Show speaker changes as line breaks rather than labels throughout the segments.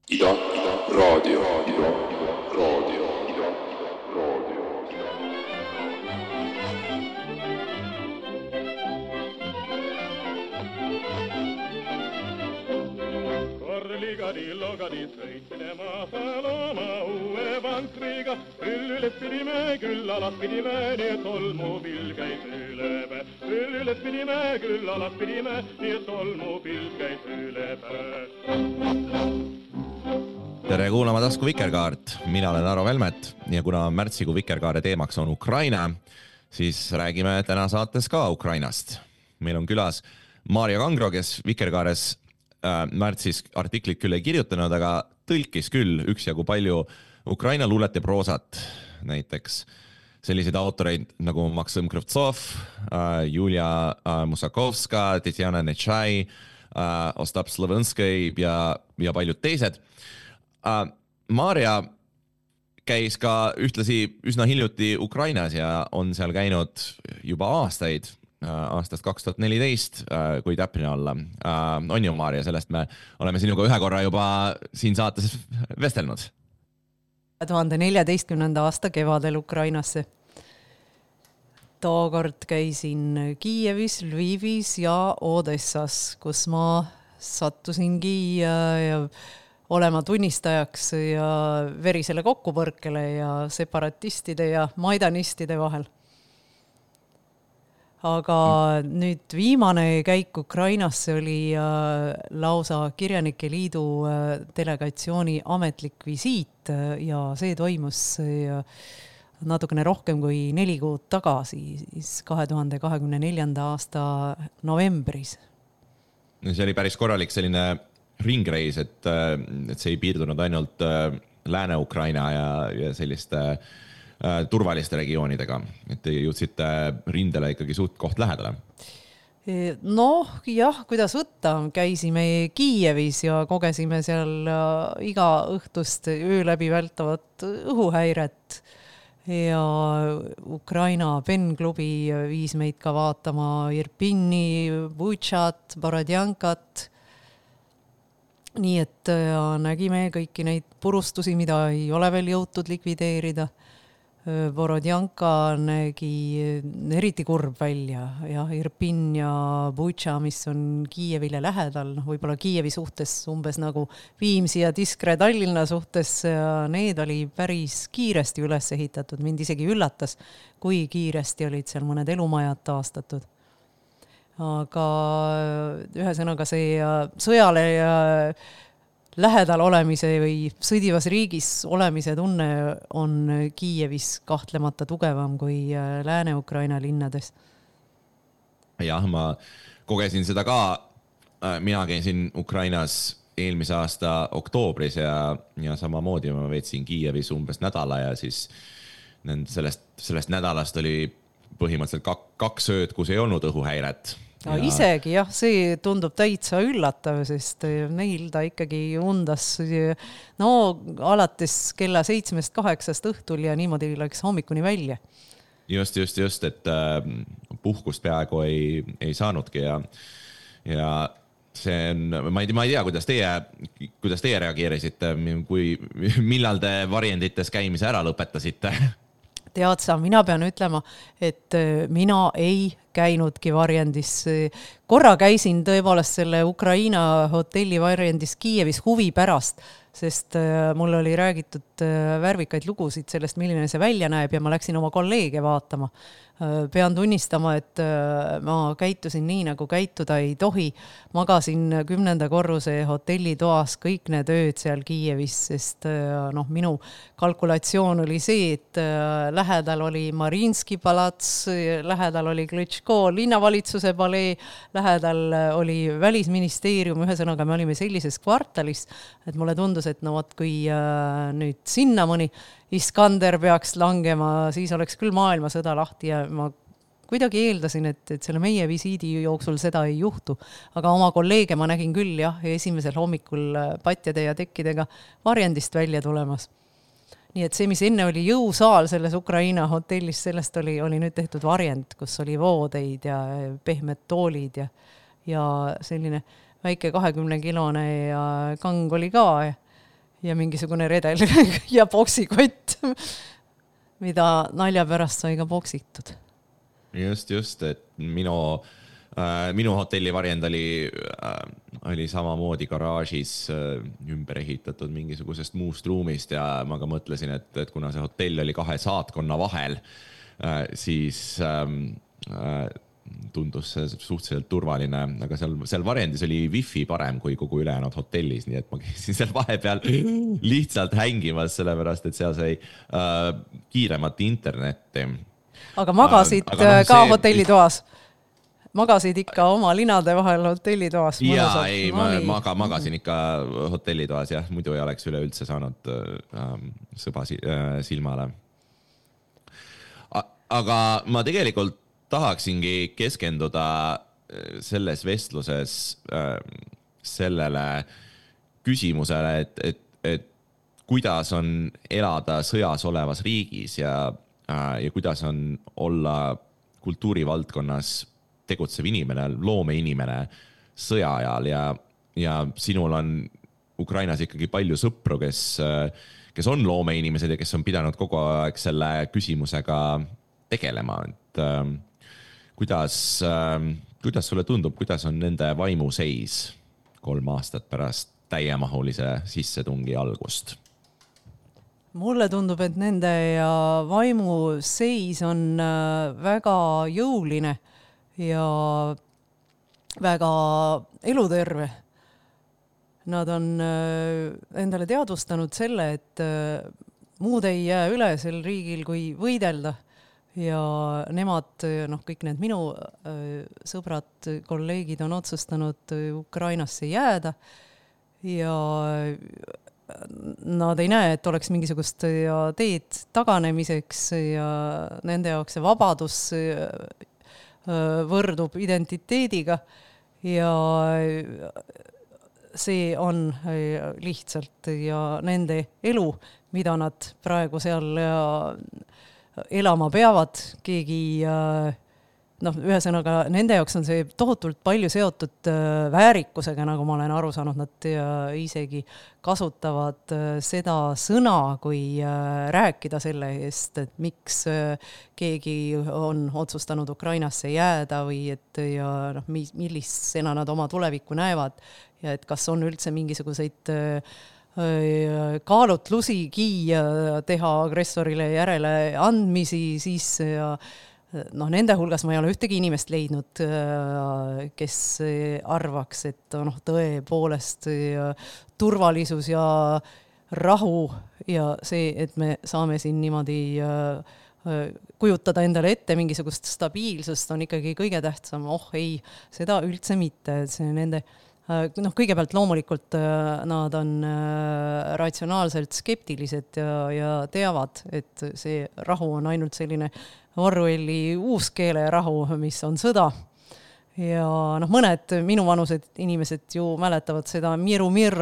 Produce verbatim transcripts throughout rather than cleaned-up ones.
Ida, Ida, raadio, Ida, Ida, raadio, Ida, Ida, raadio.
Korligadi, logadi, sõitsime Masaloma uue vankriga. Küll üles pidime, küll alas pidime, nii et tolmupilv käis üle päe. Küll üles pidime, küll alas pidime, nii et tolmupilv käis üle päe.
Tere kuulama Tasku Vikerkaart, mina olen Aro Velmet ja kuna märtsikuu Vikerkaare teemaks on Ukraina, siis räägime täna saates ka Ukrainast. Meil on külas Maarja Kangro, kes Vikerkaares äh, märtsis artiklit küll ei kirjutanud, aga tõlkis küll üksjagu palju Ukraina luulet ja proosat. Näiteks selliseid autoreid nagu Maksim Krivtsov, äh, Julia äh, Musakovska, Tetjana Nečai, äh, Ostap Slovenskõi ja, ja paljud teised. Uh, Maarja käis ka ühtlasi üsna hiljuti Ukrainas ja on seal käinud juba aastaid, uh, aastast kaks tuhat neliteist, uh, kui täpne olla. Uh, on ju, Maarja, sellest me oleme sinuga ühe korra juba siin saates vestelnud.
kahe tuhande neljateistkümnenda aasta kevadel Ukrainasse. Tookord käisin Kiievis, Lvivis ja Odessas, kus ma sattusingi ja, ja olema tunnistajaks ja verisele kokkupõrkele ja separatistide ja maidanistide vahel. Aga nüüd viimane käik Ukrainasse oli lausa Kirjanike Liidu delegatsiooni ametlik visiit ja see toimus natukene rohkem kui neli kuud tagasi, siis kahe tuhande kahekümne neljanda aasta novembris.
See oli päris korralik selline ringreis, et, et see ei piirdunud ainult Lääne-Ukraina ja, ja selliste äh, turvaliste regioonidega, et te jõudsite rindele ikkagi suht koht lähedale.
Noh, jah, kuidas võtta, käisime Kiievis ja kogesime seal iga õhtust öö läbi vältavat õhuhäiret ja Ukraina penklubi viis meid ka vaatama Irpini, Butšat, Borodjankat. Nii et ja, nägime kõiki neid purustusi, mida ei ole veel jõutud likvideerida. Borodjanka nägi eriti kurb välja ja Irpin ja Butša, mis on Kiievile lähedal, no, võib-olla Kiievi suhtes umbes nagu Viimsi ja Diskre Tallinna suhtes, ja need oli päris kiiresti üles ehitatud. Mind isegi üllatas, kui kiiresti olid seal mõned elumajad taastatud. Aga ühesõnaga see sõjale ja lähedal olemise või sõdivas riigis olemise tunne on Kiievis kahtlemata tugevam kui Lääne-Ukraina linnades.
Jah, ma kogesin seda ka. Mina käisin Ukrainas eelmise aasta oktoobris ja, ja samamoodi ma veetsin Kiievis umbes nädala ja siis sellest, sellest nädalast oli põhimõtteliselt kaks ööd, kus ei olnud õhuhäiret.
No, ja isegi jah, see tundub täitsa üllatav, sest neil ta ikkagi undas no alates kella seitsmest kaheksast õhtul ja niimoodi läks hommikuni välja.
Just, just, just, et puhkust peaaegu ei, ei saanudki ja, ja see on, ma ei, ma ei tea, kuidas teie, kuidas teie reageerisite, kui, millal te variandites käimise ära lõpetasite?
Tead sa, mina pean ütlema, et mina ei käinudki varjendis. Korra käisin tõepoolest selle Ukraina hotelli varjendis Kiievis huvi pärast, sest mul oli räägitud värvikaid lugusid sellest, milline see välja näeb ja ma läksin oma kolleege vaatama. Pean tunnistama, et ma käitusin nii, nagu käituda ei tohi. Magasin kümnenda korruse hotellitoas kõik need ööd seal Kiievis, sest noh, minu kalkulatsioon oli see, et lähedal oli Marinski palats, lähedal oli Klitško linnavalitsuse palee, lähedal oli välisministeerium, ühesõnaga me olime sellises kvartalis, et mulle tundus, et no võt, kui nüüd sinna mõni Iskander peaks langema, siis oleks küll maailmasõda lahti ja ma kuidagi eeldasin, et, et selle meie visiidi jooksul seda ei juhtu. Aga oma kolleege ma nägin küll jah, esimesel hommikul patjade ja tekkidega varjendist välja tulemas. Nii et see, mis enne oli jõusaal selles Ukraina hotellis, sellest oli, oli nüüd tehtud varjend, kus oli voodeid ja pehmed toolid ja, ja selline väike kahekümne kilone ja kang oli ka. ja mingisugune redel ja boksikott, mida nalja pärast sai ka boksitud.
Just, just, et minu, äh, minu hotelli varjend oli, äh, oli samamoodi garaažis äh, ümber ehitatud mingisugusest muust ruumist ja ma ka mõtlesin, et, et kuna see hotell oli kahe saatkonna vahel, äh, siis ähm, äh, tundus see suhteliselt turvaline, aga seal, seal varjendis oli wifi parem kui kogu ülejäänud hotellis, nii et ma käisin seal vahepeal lihtsalt hängimas, sellepärast, et seal sai äh, kiiremat internetti.
Aga magasid äh, aga no, ka see... hotellitoas? Magasid ikka oma linade vahel hotellitoas?
Jaa, ei, ma maga, magasin ikka hotellitoas, jah, muidu ei oleks üleüldse saanud äh, sõba silmale. Aga ma tegelikult tahaksingi keskenduda selles vestluses äh, sellele küsimusele, et, et, et kuidas on elada sõjas olevas riigis ja, äh, ja kuidas on olla kultuurivaldkonnas tegutsev inimene, loomeinimene sõja ajal ja, ja sinul on Ukrainas ikkagi palju sõpru, kes, kes on loomeinimesed ja kes on pidanud kogu aeg selle küsimusega tegelema, et äh, Kuidas, kuidas sulle tundub, kuidas on nende vaimuseis kolm aastat pärast täiemahulise sissetungi algust?
Mulle tundub, et nende vaimuseis on väga jõuline ja väga eluterve. Nad on endale teadvustanud selle, et muud ei jää üle sel riigil kui võidelda. Ja nemad, noh, kõik need minu äh, sõbrad, kolleegid on otsustanud Ukrainasse jääda ja nad ei näe, et oleks mingisugust ja teed taganemiseks ja nende jaoks see vabadus äh, võrdub identiteediga ja see on äh, lihtsalt ja nende elu, mida nad praegu seal ja elama peavad, keegi, noh, ühesõnaga, nende jaoks on see tohutult palju seotud väärikusega, nagu ma olen aru saanud, nad isegi kasutavad seda sõna, kui rääkida selle eest, et miks keegi on otsustanud Ukrainasse jääda või et ja noh, millisena nad oma tulevikku näevad ja et kas on üldse mingisuguseid kaalutlusigi teha agressorile järele andmisi, siis ja, noh, nende hulgas ma ei ole ühtegi inimest leidnud, kes arvaks, et noh, tõepoolest turvalisus ja rahu ja see, et me saame siin niimoodi kujutada endale ette mingisugust stabiilsust on ikkagi kõige tähtsam. Oh ei, seda üldse mitte, see nende noh, kõigepealt loomulikult nad on ratsionaalselt skeptilised ja, ja teavad, et see rahu on ainult selline Orwelli uuskeele rahu, mis on sõda. Ja noh, mõned minuvanused inimesed ju mäletavad seda Miru Mir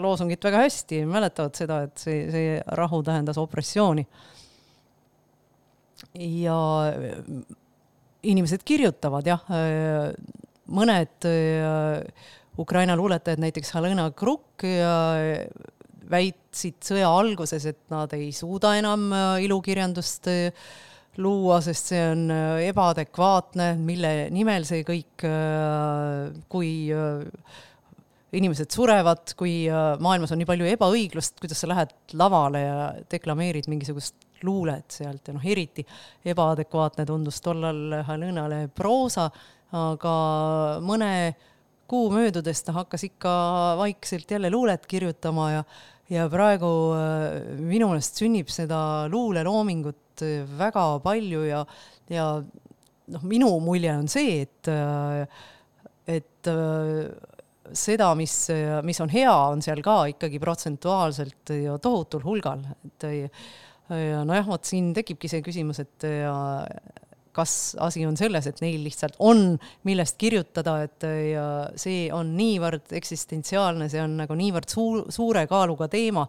loosungit väga hästi, mäletavad seda, et see, see rahu tähendas opressiooni. Ja inimesed kirjutavad, jah, mõned Ukraina luuletajad, näiteks Halena Kruk, väitsid sõja alguses, et nad ei suuda enam ilukirjandust luua, sest see on ebaadekvaatne, mille nimel see kõik, kui inimesed surevad, kui maailmas on nii palju ebaõiglust, kuidas sa lähed lavale ja deklameerid mingisugust luulet sealt ja noh, eriti ebaadekvaatne tundus tollal Halenale proosa, aga mõne kuu möödudes ta hakkas ikka vaikselt jälle luulet kirjutama ja, ja praegu minu meelest sünnib seda luuleloomingut väga palju ja, ja noh, minu mulje on see, et, et seda, mis, mis on hea, on seal ka ikkagi protsentuaalselt ja tohutul hulgal. Et, ja nojah, vot siin tekibki see küsimus, et ja, kas asi on selles, et neil lihtsalt on millest kirjutada, et ja see on niivõrd eksistentsiaalne, see on nagu niivõrd suur, suure kaaluga teema.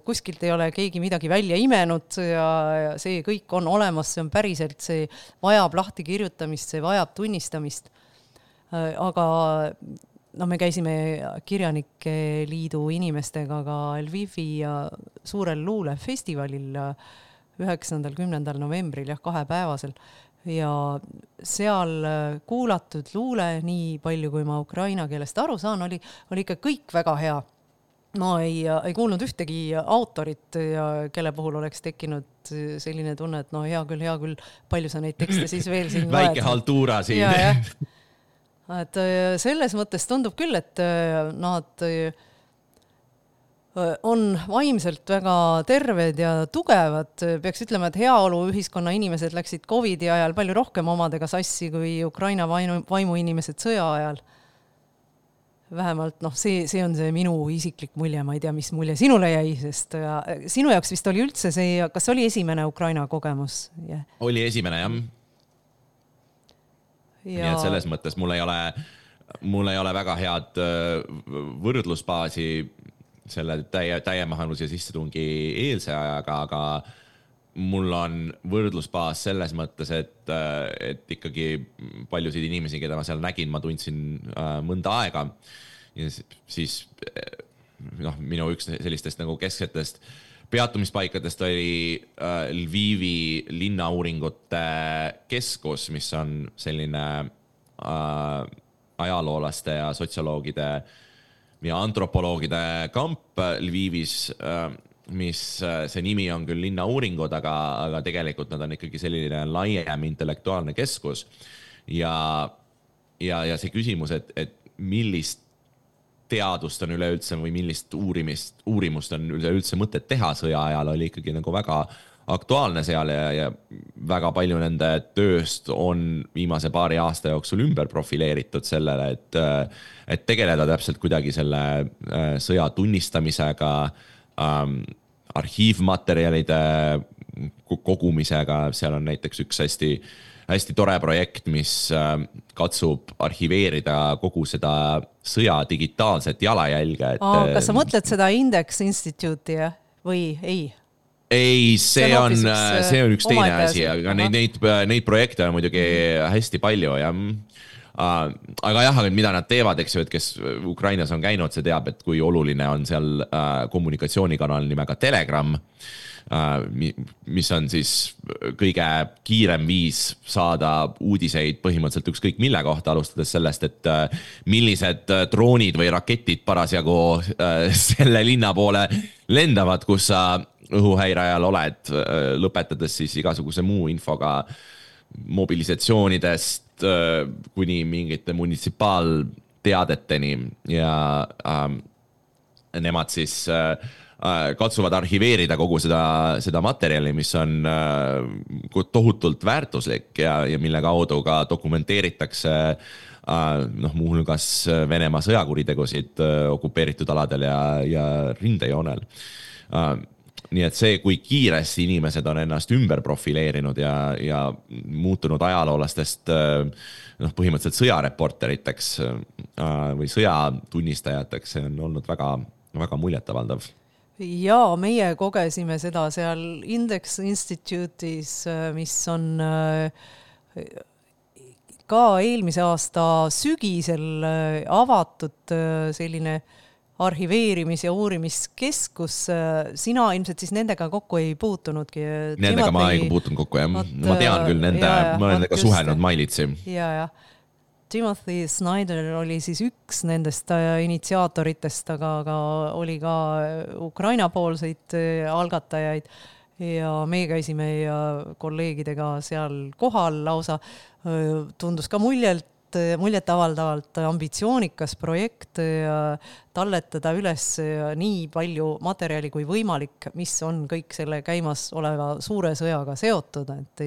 Kuskilt ei ole keegi midagi välja imenud ja, ja see kõik on olemas, see on päriselt, see vajab lahti kirjutamist, see vajab tunnistamist. Aga no me käisime Kirjanike Liidu inimestega ka Lvivi suurel luulefestivalil üheksandal kümnendal novembril, jah, kahepäevasel. Ja seal kuulatud luule, nii palju kui ma ukraina keelest aru saan, oli, oli ikka kõik väga hea. Ma ei, ei kuulnud ühtegi autorit, ja kelle puhul oleks tekkinud selline tunne, et no hea küll, hea küll, palju sa neid tekste siis veel siin
loed. Väike haltuura siin.
Ja, ja. Et selles mõttes tundub küll, et nad on vaimselt väga terved ja tugevad. Peaks ütlema, et heaolu ühiskonna inimesed läksid Covidi ajal palju rohkem omadega sassi kui Ukraina vaimu, vaimu inimesed sõja ajal. Vähemalt, noh, see, see on see minu isiklik mulje, ma ei tea, mis mulje sinule jäi, sest ja, sinu jaoks vist oli üldse see, kas oli esimene Ukraina kogemus? Yeah.
Oli esimene, jah. Ja... Nii et selles mõttes mul ei ole, mul ei ole väga head võrdlusbaasi selle täie, täiemahannuse sissetungi eelse ajaga, aga mul on võrdlusbaas selles mõttes, et, et ikkagi paljusid inimesi, keda ma seal nägin, ma tundsin mõnda aega. Ja siis noh, minu üks sellistest nagu kesksetest peatumispaikadest oli Lvivi linnauuringute keskus, mis on selline ajaloolaste ja sotsioloogide ja antropoloogide kamp Lvivis, mis see nimi on küll linnauuringud, aga, aga tegelikult nad on ikkagi selline laiem intellektuaalne keskus. Ja, ja, ja see küsimus, et, et millist teadust on üleüldse või millist uurimist, uurimust on üleüldse mõtet teha sõja ajal, oli ikkagi nagu väga aktuaalne seal ja, ja väga palju nende tööst on viimase paari aasta jooksul ümber profileeritud sellele, et, et tegeleda täpselt kuidagi selle sõja tunnistamisega, ähm, arhiivmaterjalide kogumisega. Seal on näiteks üks hästi, hästi tore projekt, mis katsub arhiveerida kogu seda sõja digitaalset jalajälge. Et,
Aa, kas sa mõtled seda Index Institute'i või ei?
Ei, see, see on, üks, see on üks teine asi, aga neid, neid, neid projekte on muidugi hästi palju. Ja, aga jah, mida nad teevad, eks ju, et kes Ukrainas on käinud, see teab, et kui oluline on seal kommunikatsioonikanal nimega Telegram, mis on siis kõige kiirem viis saada uudiseid põhimõtteliselt ükskõik mille kohta, alustades sellest, et millised droonid või raketid parasjagu selle linna poole lendavad, kus sa õhuhäire ajal oled, lõpetades siis igasuguse muu infoga mobilisatsioonidest kuni mingite munitsipaalteadeteni ja äh, nemad siis äh, katsuvad arhiveerida kogu seda, seda materjali, mis on äh, tohutult väärtuslik ja, ja mille kaudu ka dokumenteeritakse äh, noh, muuhulgas Venemaa sõjakuritegusid äh, okupeeritud aladel ja, ja rindejoonel. Äh, Nii et see, kui kiiresti inimesed on ennast ümber profileerinud ja, ja muutunud ajaloolastest noh, põhimõtteliselt sõjareporteriteks või sõjatunnistajateks, see on olnud väga, väga muljetavaldav.
Ja meie kogesime seda seal Index Institute'is, mis on ka eelmise aasta sügisel avatud selline arhiveerimis- ja uurimiskeskus. Sina ilmselt siis nendega kokku ei puutunudki?
Nendega Timothy... ma ei puutun kokku, jah. Ma tean küll nende, ja, ja, ma olen nendega suhelnud mailitsi.
Ja, ja. Timothy Snyder oli siis üks nendest initsiaatoritest, aga, aga oli ka Ukraina poolseid algatajaid ja me käisime ja kolleegidega seal kohal lausa. Tundus ka muljelt, muljet avaldavalt ambitsioonikas projekt ja talletada üles nii palju materjali kui võimalik, mis on kõik selle käimas oleva suure sõjaga seotud, et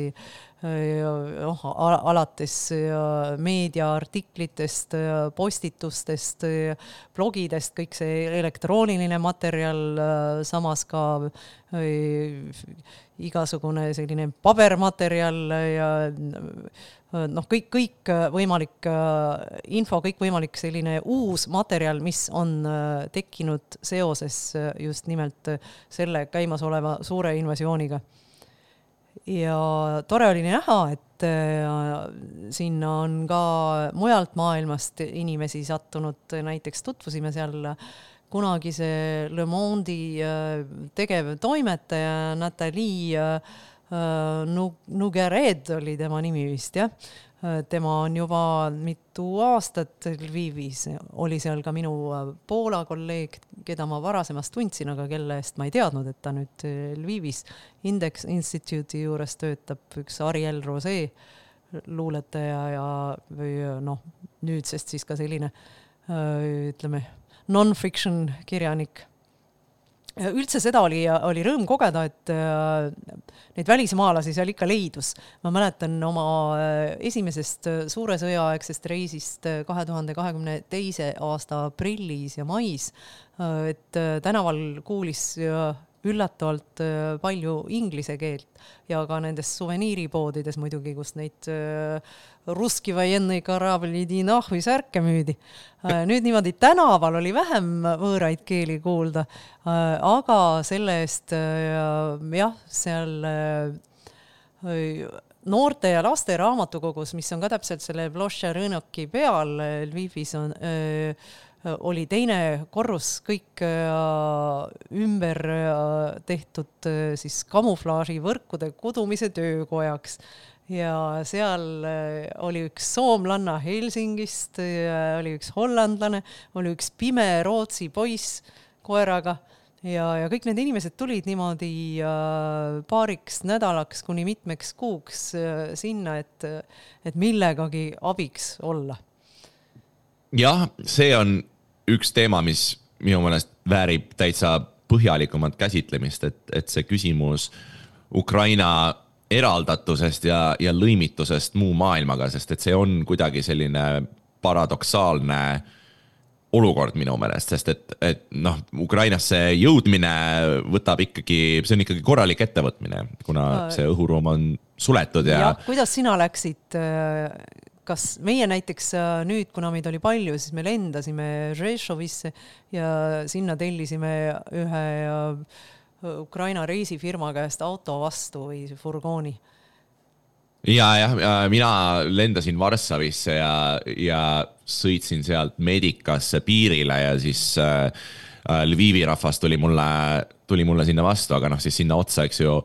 oh, alates meediaartiklitest, postitustest, blogidest, kõik see elektrooniline materjal, samas ka igasugune selline pabermaterjal ja noh, kõik, kõik võimalik info, kõik võimalik selline uus materjal, mis on tekkinud seoses just nimelt selle käimasoleva suure invasiooniga. ja tore oli näha, et sinna on ka mujalt maailmast inimesi sattunud, näiteks tutvusime seal kunagise Le Monde'i tegev toimetaja Nathalie Nougharet oli tema nimi vist, jah. Tema on juba mitu aastat Lvivis, oli seal ka minu Poola kolleeg, keda ma varasemast tundsin, aga kelle eest ma ei teadnud, et ta nüüd Lvivis Index Institute'i juures töötab, üks Ariel Rosé luuletaja ja või noh, nüüdsest siis ka selline, ütleme, non-fiction kirjanik. Üldse seda oli, oli rõõm kogeda, et neid välismaalasi seal ikka leidus. Ma mäletan oma esimesest suure sõjaaegsest reisist kahe tuhande kahekümne teise aasta aprillis ja mais, et tänaval kuulis üllatavalt palju inglise keelt ja ka nendes suveniiripoodides muidugi, kus neid russki vojennõi karablidi nahvi särke müüdi. Nüüd niimoodi tänaval oli vähem võõraid keeli kuulda, aga selle eest jah, seal noorte ja laste raamatukogus, mis on ka täpselt selle Plošća Rõnoki peal, Lvivis on oli teine korrus kõik ümber tehtud siis kamuflaaži võrkude kudumise töökojaks ja seal oli üks soomlanna Helsingist, oli üks hollandlane, oli üks pime Rootsi poiss koeraga ja, ja kõik need inimesed tulid niimoodi paariks nädalaks kuni mitmeks kuuks sinna, et, et millegagi abiks olla.
Jah, see on üks teema, mis minu meelest väärib täitsa põhjalikumat käsitlemist, et, et see küsimus Ukraina eraldatusest ja, ja lõimitusest muu maailmaga, sest et see on kuidagi selline paradoksaalne olukord minu meelest, sest et, et noh, Ukrainasse jõudmine võtab ikkagi, see on ikkagi korralik ettevõtmine, kuna see õhuruum on suletud ja...
ja kuidas sina läksid... Kas meie näiteks nüüd, kuna meid oli palju, siis me lendasime Žešovisse ja sinna tellisime ühe Ukraina reisifirma käest auto vastu või furgooni?
Ja, ja, ja mina lendasin Varssavisse ja, ja sõitsin sealt Medikasse piirile ja siis äh, Lvivi rahvas tuli mulle, tuli mulle sinna vastu, aga noh, siis sinna otsa, eks ju,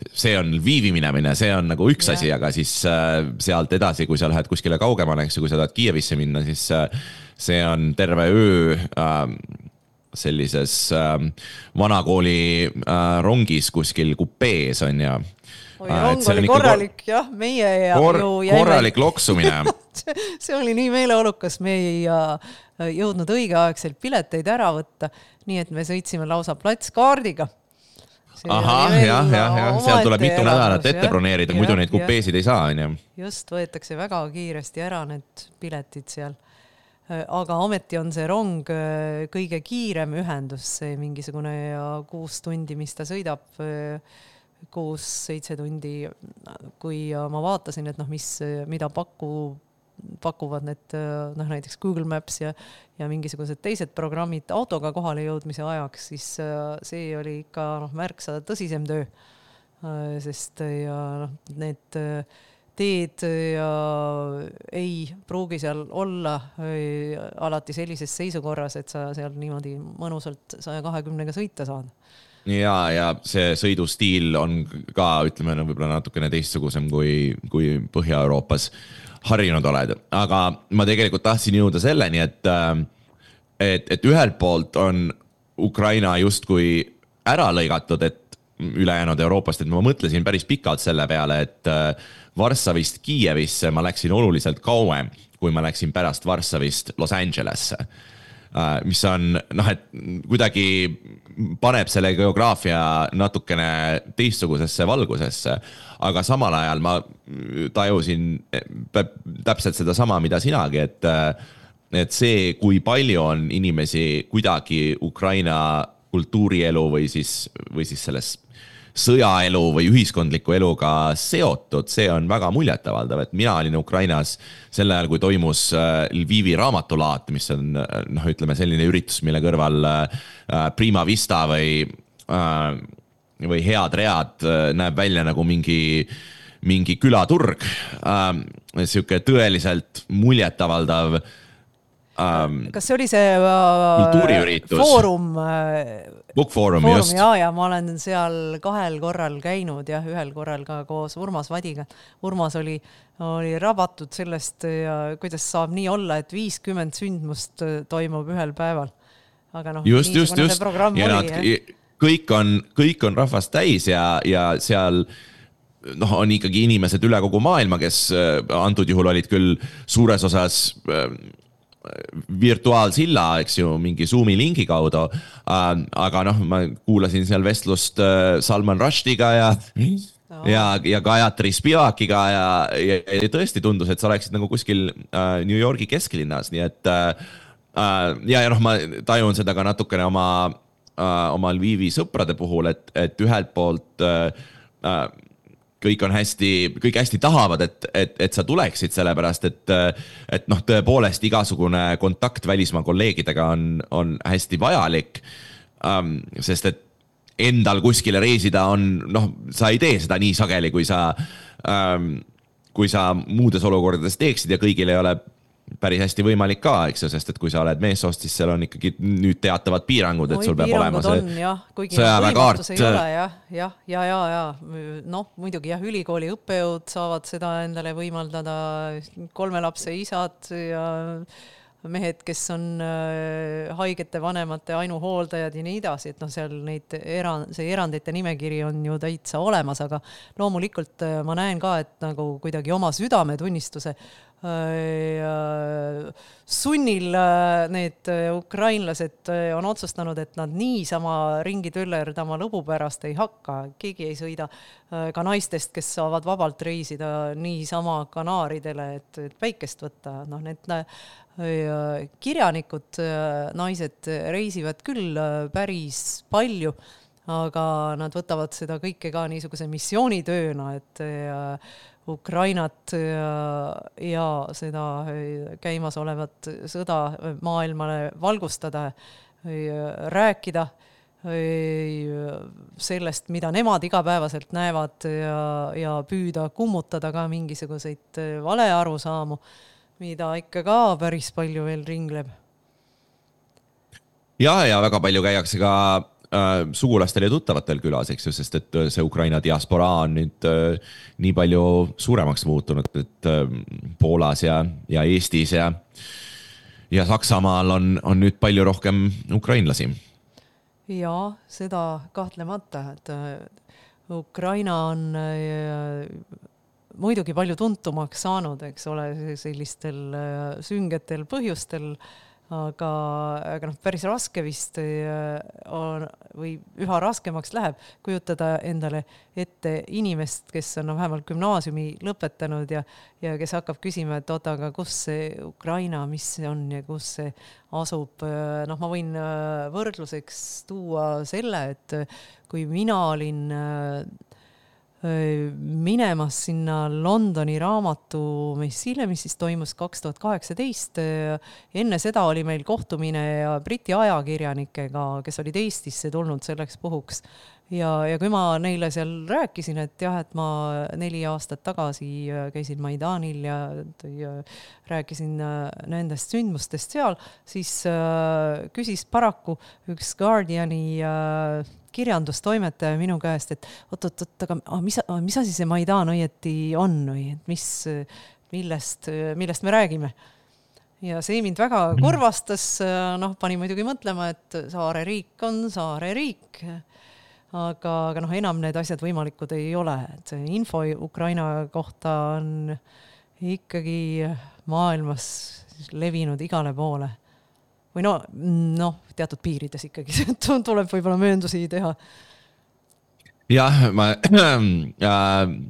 see on Lvivi minemine, see on nagu üks asi, aga siis äh, sealt edasi, kui sa lähed kuskile kaugemale, eks ju, kui sa tahad Kiievisse minna, siis äh, see on terve öö äh, sellises äh, vanakooli äh, rongis kuskil kupees on ja
Oi, rong oli korralik, kor... jah, meie ja
kor...
ju jäime...
korralik loksumine.
see oli nii meeleolukas, me ei jõudnud õigeaegselt pileteid ära võtta, nii et me sõitsime lausa platskaardiga.
Aha, jah, jah, jah, seal tuleb mitu nädalat ette broneerida, muidu neid kupeesid ei saa. On,
just, võetakse väga kiiresti ära need piletid seal. Aga ometi on see rong kõige kiirem ühendus, see mingisugune kuus tundi, mis ta sõidab kuus, seitse tundi, kui ma vaatasin, et noh, mis, mida paku, pakuvad need noh, näiteks Google Maps ja, ja mingisugused teised programmid autoga kohale jõudmise ajaks, siis see oli ikka noh, märksa tõsisem töö. Sest ja noh, need teed ja ei pruugi seal olla alati sellises seisukorras, et sa seal niimoodi mõnusalt saja kahekümnega sõita saad.
Ja, ja see sõidustiil on ka, ütleme, no, võib-olla natukene teistsugusem kui, kui Põhja-Euroopas harjunud oled. Aga ma tegelikult tahtsin jõuda selleni, et, et, et ühelt poolt on Ukraina justkui ära lõigatud, et ülejäänud Euroopast, et ma mõtlesin päris pikalt selle peale, et Varssavist Kiievisse ma läksin oluliselt kauem, kui ma läksin pärast Varssavist Los Angelesse. Mis on, noh, et kuidagi paneb selle geograafia natukene teistsugusesse valgusesse, aga samal ajal ma tajusin täpselt seda sama, mida sinagi, et, et see, kui palju on inimesi kuidagi Ukraina kultuurielu või siis, või siis selles sõjaelu või ühiskondliku eluga seotud, see on väga muljetavaldav, et mina olin Ukrainas sel ajal, kui toimus Lvivi raamatulaat, mis on, noh, ütleme selline üritus, mille kõrval Prima Vista või või head read näeb välja nagu mingi, mingi külaturg. Siuke tõeliselt muljetavaldav Um,
kas see oli see uh, foorum,
Book Forum,
foorum
just.
Ja, ja ma olen seal kahel korral käinud ja ühel korral ka koos Urmas Vadiga. Urmas oli, oli rabatud sellest, ja kuidas saab nii olla, et viiskümmend sündmust toimub ühel päeval. Aga noh,
just, just, just. Ja nad, kõik, on, kõik on rahvast täis ja, ja seal noh, on ikkagi inimesed üle kogu maailma, kes antud juhul olid küll suures osas virtuaalsilla, eks ju, mingi Zoomi lingi kaudu, aga noh, ma kuulasin seal vestlust Salman Rushdiga ja, oh. ja, ja Gayatri Spivakiga ja, ja, ja tõesti tundus, et sa oleksid nagu kuskil New Yorgi kesklinnas, nii et ja, ja noh, ma tajun seda ka natukene oma, oma Lvivi sõprade puhul, et, et ühelt poolt kõik on hästi, kõik hästi tahavad, et, et, et sa tuleksid sellepärast, et, et noh, tõepoolest igasugune kontakt välismaa kolleegidega on, on hästi vajalik, um, sest et endal kuskile reisida on, noh, sa ei tee seda nii sageli, kui sa, um, kui sa muudes olukordades teeksid ja kõigil ei ole päris hästi võimalik ka, eks ju, sest et kui sa oled meessoost, siis seal on ikkagi nüüd teatavad piirangud, et sul peab olema see sõjaväekaart.
Ja, ja, ja, ja, ja. noh, muidugi jah, ülikooli õppejõud saavad seda endale võimaldada, kolme lapse isad ja mehed, kes on haigete vanemate ainuhooldajad ja nii edasi, et noh, seal neid eran, see erandite nimekiri on ju täitsa olemas, aga loomulikult ma näen ka, et nagu kuidagi oma südametunnistuse sunnil need ukrainlased on otsustanud, et nad niisama ringi töllerdama lõbu pärast ei hakka. Keegi ei sõida ka naistest, kes saavad vabalt reisida niisama Kanaaridele, et, et päikest võtta. Noh, need kirjanikud, naised reisivad küll päris palju, aga nad võtavad seda kõike ka niisuguse missioonitööna, et Ukrainat ja, ja seda käimas olevat sõda maailmale valgustada, rääkida sellest, mida nemad igapäevaselt näevad ja, ja püüda kummutada ka mingisuguseid valearusaamu, mida ikka ka päris palju veel ringleb.
Ja, ja väga palju käiakse ka sugulastel ja tuttavatel külas, eks ju, sest et see Ukraina diasporaa on nüüd nii palju suuremaks muutunud, et Poolas ja, ja Eestis ja, ja Saksamaal on, on nüüd palju rohkem ukrainlasi.
Ja, seda kahtlemata, et Ukraina on muidugi palju tuntumaks saanud, eks ole, sellistel süngetel põhjustel, aga, aga noh, päris raske vist on, või üha raskemaks läheb kujutada endale ette inimest, kes on no, vähemalt gümnaasiumi lõpetanud ja, ja kes hakkab küsima, et oota, aga kus see Ukraina, mis see on ja kus see asub. Noh, ma võin võrdluseks tuua selle, et kui mina olin minemas sinna Londoni raamatumessile, mis siis toimus kaks tuhat kaheksateist. Enne seda oli meil kohtumine Briti ajakirjanikega, kes olid Eestisse tulnud selleks puhuks. Ja, ja kui ma neile seal rääkisin, et jah, et ma neli aastat tagasi käisin Maidanil ja, ja rääkisin nendest sündmustest seal, siis äh, küsis paraku üks Guardiani äh, kirjandustoimetaja minu käest, et oot, oot, oot, aga mis, mis asi see Maidan õieti on või et mis, millest, millest me räägime? Ja see mind väga kurvastas, noh, pani muidugi mõtlema, et saare riik on saare riik, aga, aga noh, enam need asjad võimalikud ei ole. Et see info Ukraina kohta on ikkagi maailmas levinud igale poole. Või no, no, teatud piirides ikkagi tuleb võib-olla mööndusi teha. Jah, ma,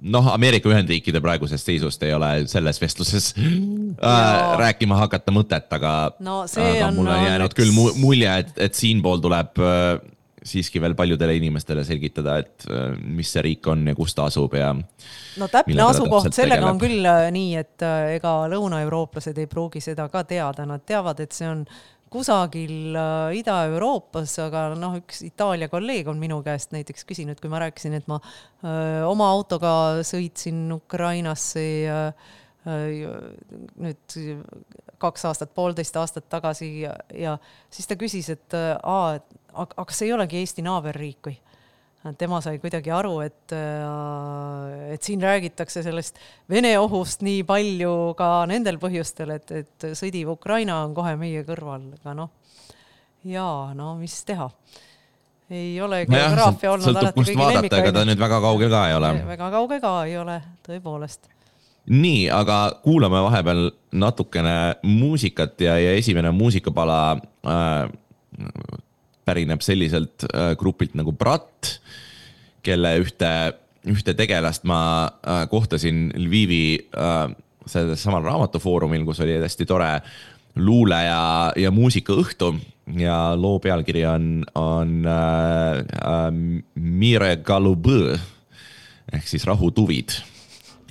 noh, Ameerika Ühendriikide praegusest seisust ei ole selles vestluses äh, rääkima hakata mõtet, aga, no, aga mul on jäänud oleks... küll mulje, et, et siinpool tuleb äh, siiski veel paljudele inimestele selgitada, et äh, mis see riik on ja kus ta asub ja no täpne asukoht, sellega on küll nii, et äh, ega lõunaeurooplased ei pruugi seda ka teada, nad teavad, et see on kusagil Ida-Euroopas, aga noh, üks Itaalia kolleeg on minu käest näiteks küsinud, kui ma rääkisin, et ma öö, oma autoga sõitsin Ukrainasse ja öö, nüüd kaks aastat, poolteist aastat tagasi ja, ja siis ta küsis, et aa, aga kas ei olegi Eesti naaberriik või? Tema sai kuidagi aru, et, et siin räägitakse sellest Vene ohust nii palju ka nendel põhjustel, et, et sõdiv Ukraina on kohe meie kõrval. Aga noh, jaa, no mis teha? Ei ole geograafia no olnud alati kõigi lemmikaid.
Ega ta nüüd väga kauge ka ei ole.
Väga kauge ka ei ole, tõepoolest.
Nii, aga kuulame vahepeal natukene muusikat ja, ja esimene muusikapala äh, pärineb selliselt äh, grupilt nagu Brat, kelle ühte, ühte tegelast ma äh, kohtasin Lvivi äh, samal raamatufoorumil, kus oli hästi tore luule ja, ja muusikaõhtu ja loo pealkiri on, on äh, äh, Mire Galubõ ehk siis rahutuvid.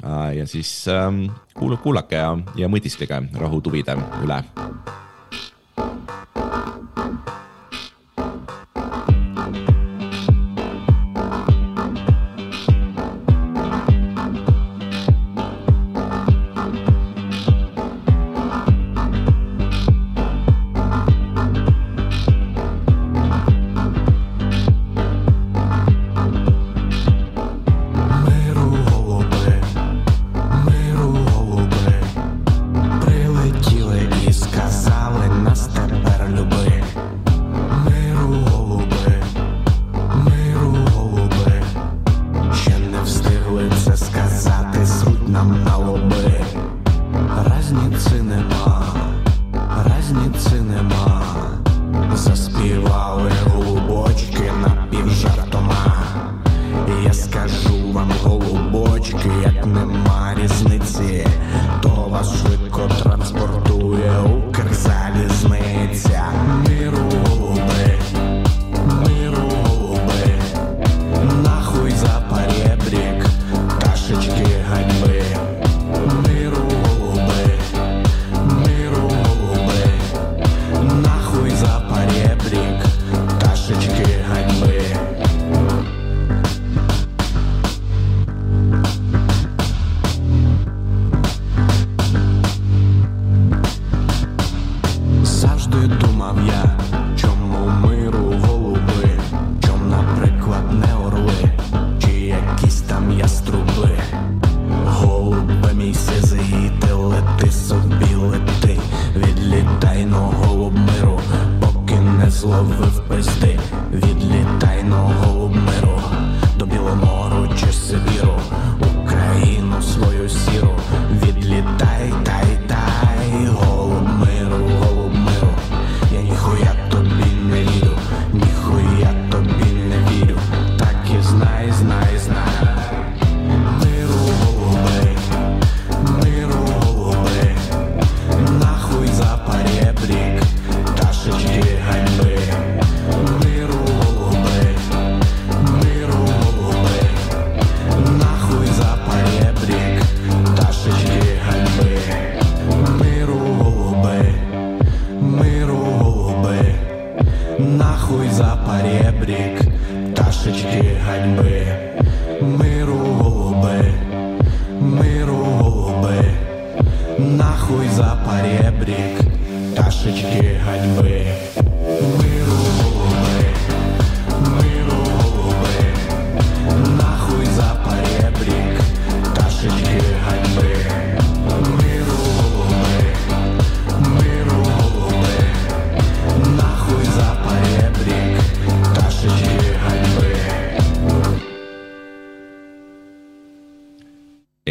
Äh, ja siis äh, kuul, kuulake ja, ja mõtisklige rahutuvide üle.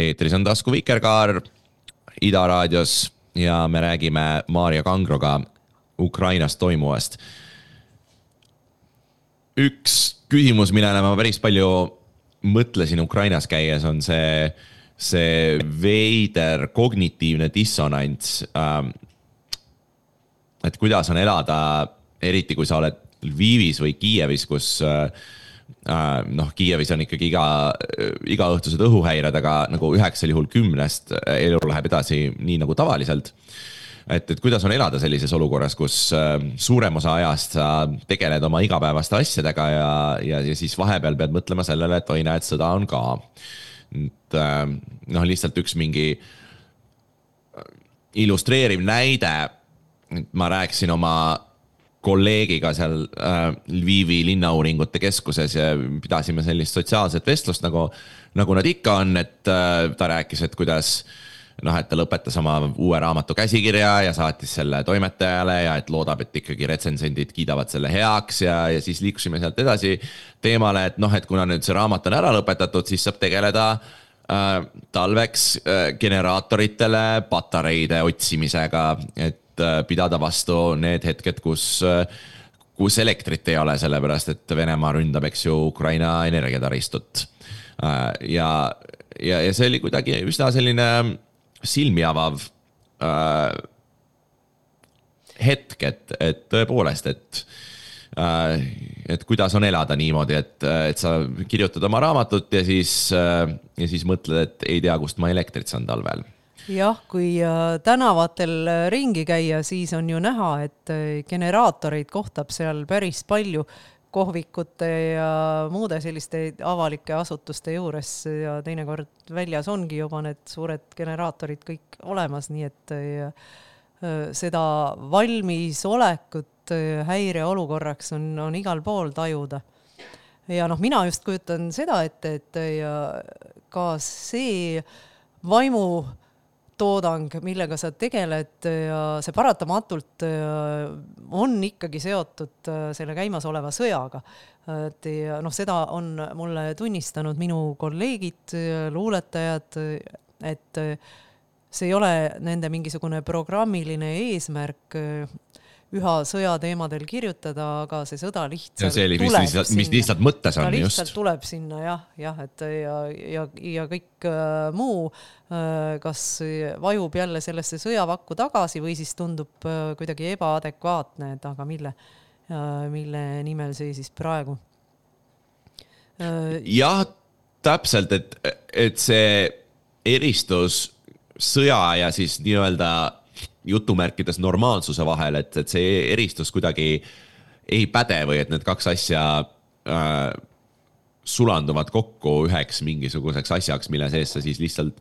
Eetris on Tasku Vikerkaar Ida raadios ja me räägime Maarja Kangroga Ukrainas toimuvast. Üks küsimus, millele ma päris palju mõtlesin Ukrainas käies, on see, see veider kognitiivne dissonants. Et kuidas on elada, eriti kui sa oled Lvivis või Kiievis, kus noh, Kiievis on ikkagi iga, iga õhtused õhuhäired, aga nagu üheksal juhul kümnest elu läheb edasi nii nagu tavaliselt. et, et kuidas on elada sellises olukorras, kus suurem osa ajast sa tegeled oma igapäevaste asjadega ja, ja, ja siis vahepeal pead mõtlema sellele, et oi näed, sõda on ka. Et, noh, lihtsalt üks mingi illustreeriv näide, ma rääkisin oma kolleegiga seal Lvivi linnauuringute keskuses ja pidasime sellist sotsiaalset vestlust, nagu, nagu nad ikka on, et ta rääkis, et kuidas noh, et ta lõpetas oma uue raamatu käsikirja ja saatis selle toimetajale ja et loodab, et ikkagi retsensendid kiidavad selle heaks ja, ja siis liikusime sealt edasi teemale, et noh, et kuna nüüd see raamat on ära lõpetatud, siis saab tegeleda äh, talveks äh, generaatoritele patareide otsimisega, et äh, pidada vastu need hetked, kus, äh, kus elektrit ei ole, sellepärast et Venemaa ründab, eks ju, Ukraina energiataristut. Äh, ja, ja, ja see oli kuidagi üsna selline silmi avav äh, hetk, et, et tõepoolest, et, äh, et kuidas on elada niimoodi, et, et sa kirjutad oma raamatut ja siis, äh, ja siis mõtled, et ei tea, kust ma elektrit saan talvel.
Jah, kui äh, tänavatel ringi käia, siis on ju näha, et generaatoreid kohtab seal päris palju kohvikute ja muude selliste avalike asutuste juures ja teinekord väljas ongi juba need suured generaatorid kõik olemas, nii et ja, seda valmisolekut häireolukorraks on, on igal pool tajuda. Ja noh, mina just kujutan seda, et, et ja ka see vaimu toodang, millega sa tegeled ja see paratamatult on ikkagi seotud selle käimasoleva sõjaga. Et ja noh, seda on mulle tunnistanud minu kolleegid, luuletajad, et see ei ole nende mingisugune programmiline eesmärk üha sõjateemadel kirjutada, aga see sõda lihtsalt
ja see oli,
tuleb
mis,
sinna.
Mis lihtsalt mõttes on,
ta lihtsalt
just.
tuleb sinna, jah, jah, et ja, ja, ja kõik äh, muu äh, kas vajub jälle sellesse sõjavakku tagasi või siis tundub äh, kuidagi ebaadekvaatne, et aga mille, äh, mille nimel see siis praegu?
Äh, jah, täpselt, et, et see eristus sõja ja siis nii-öelda jutumärkides normaalsuse vahel, et, et see eristus kuidagi ei päde või et need kaks asja äh, sulanduvad kokku üheks mingisuguseks asjaks, mille sees sa siis lihtsalt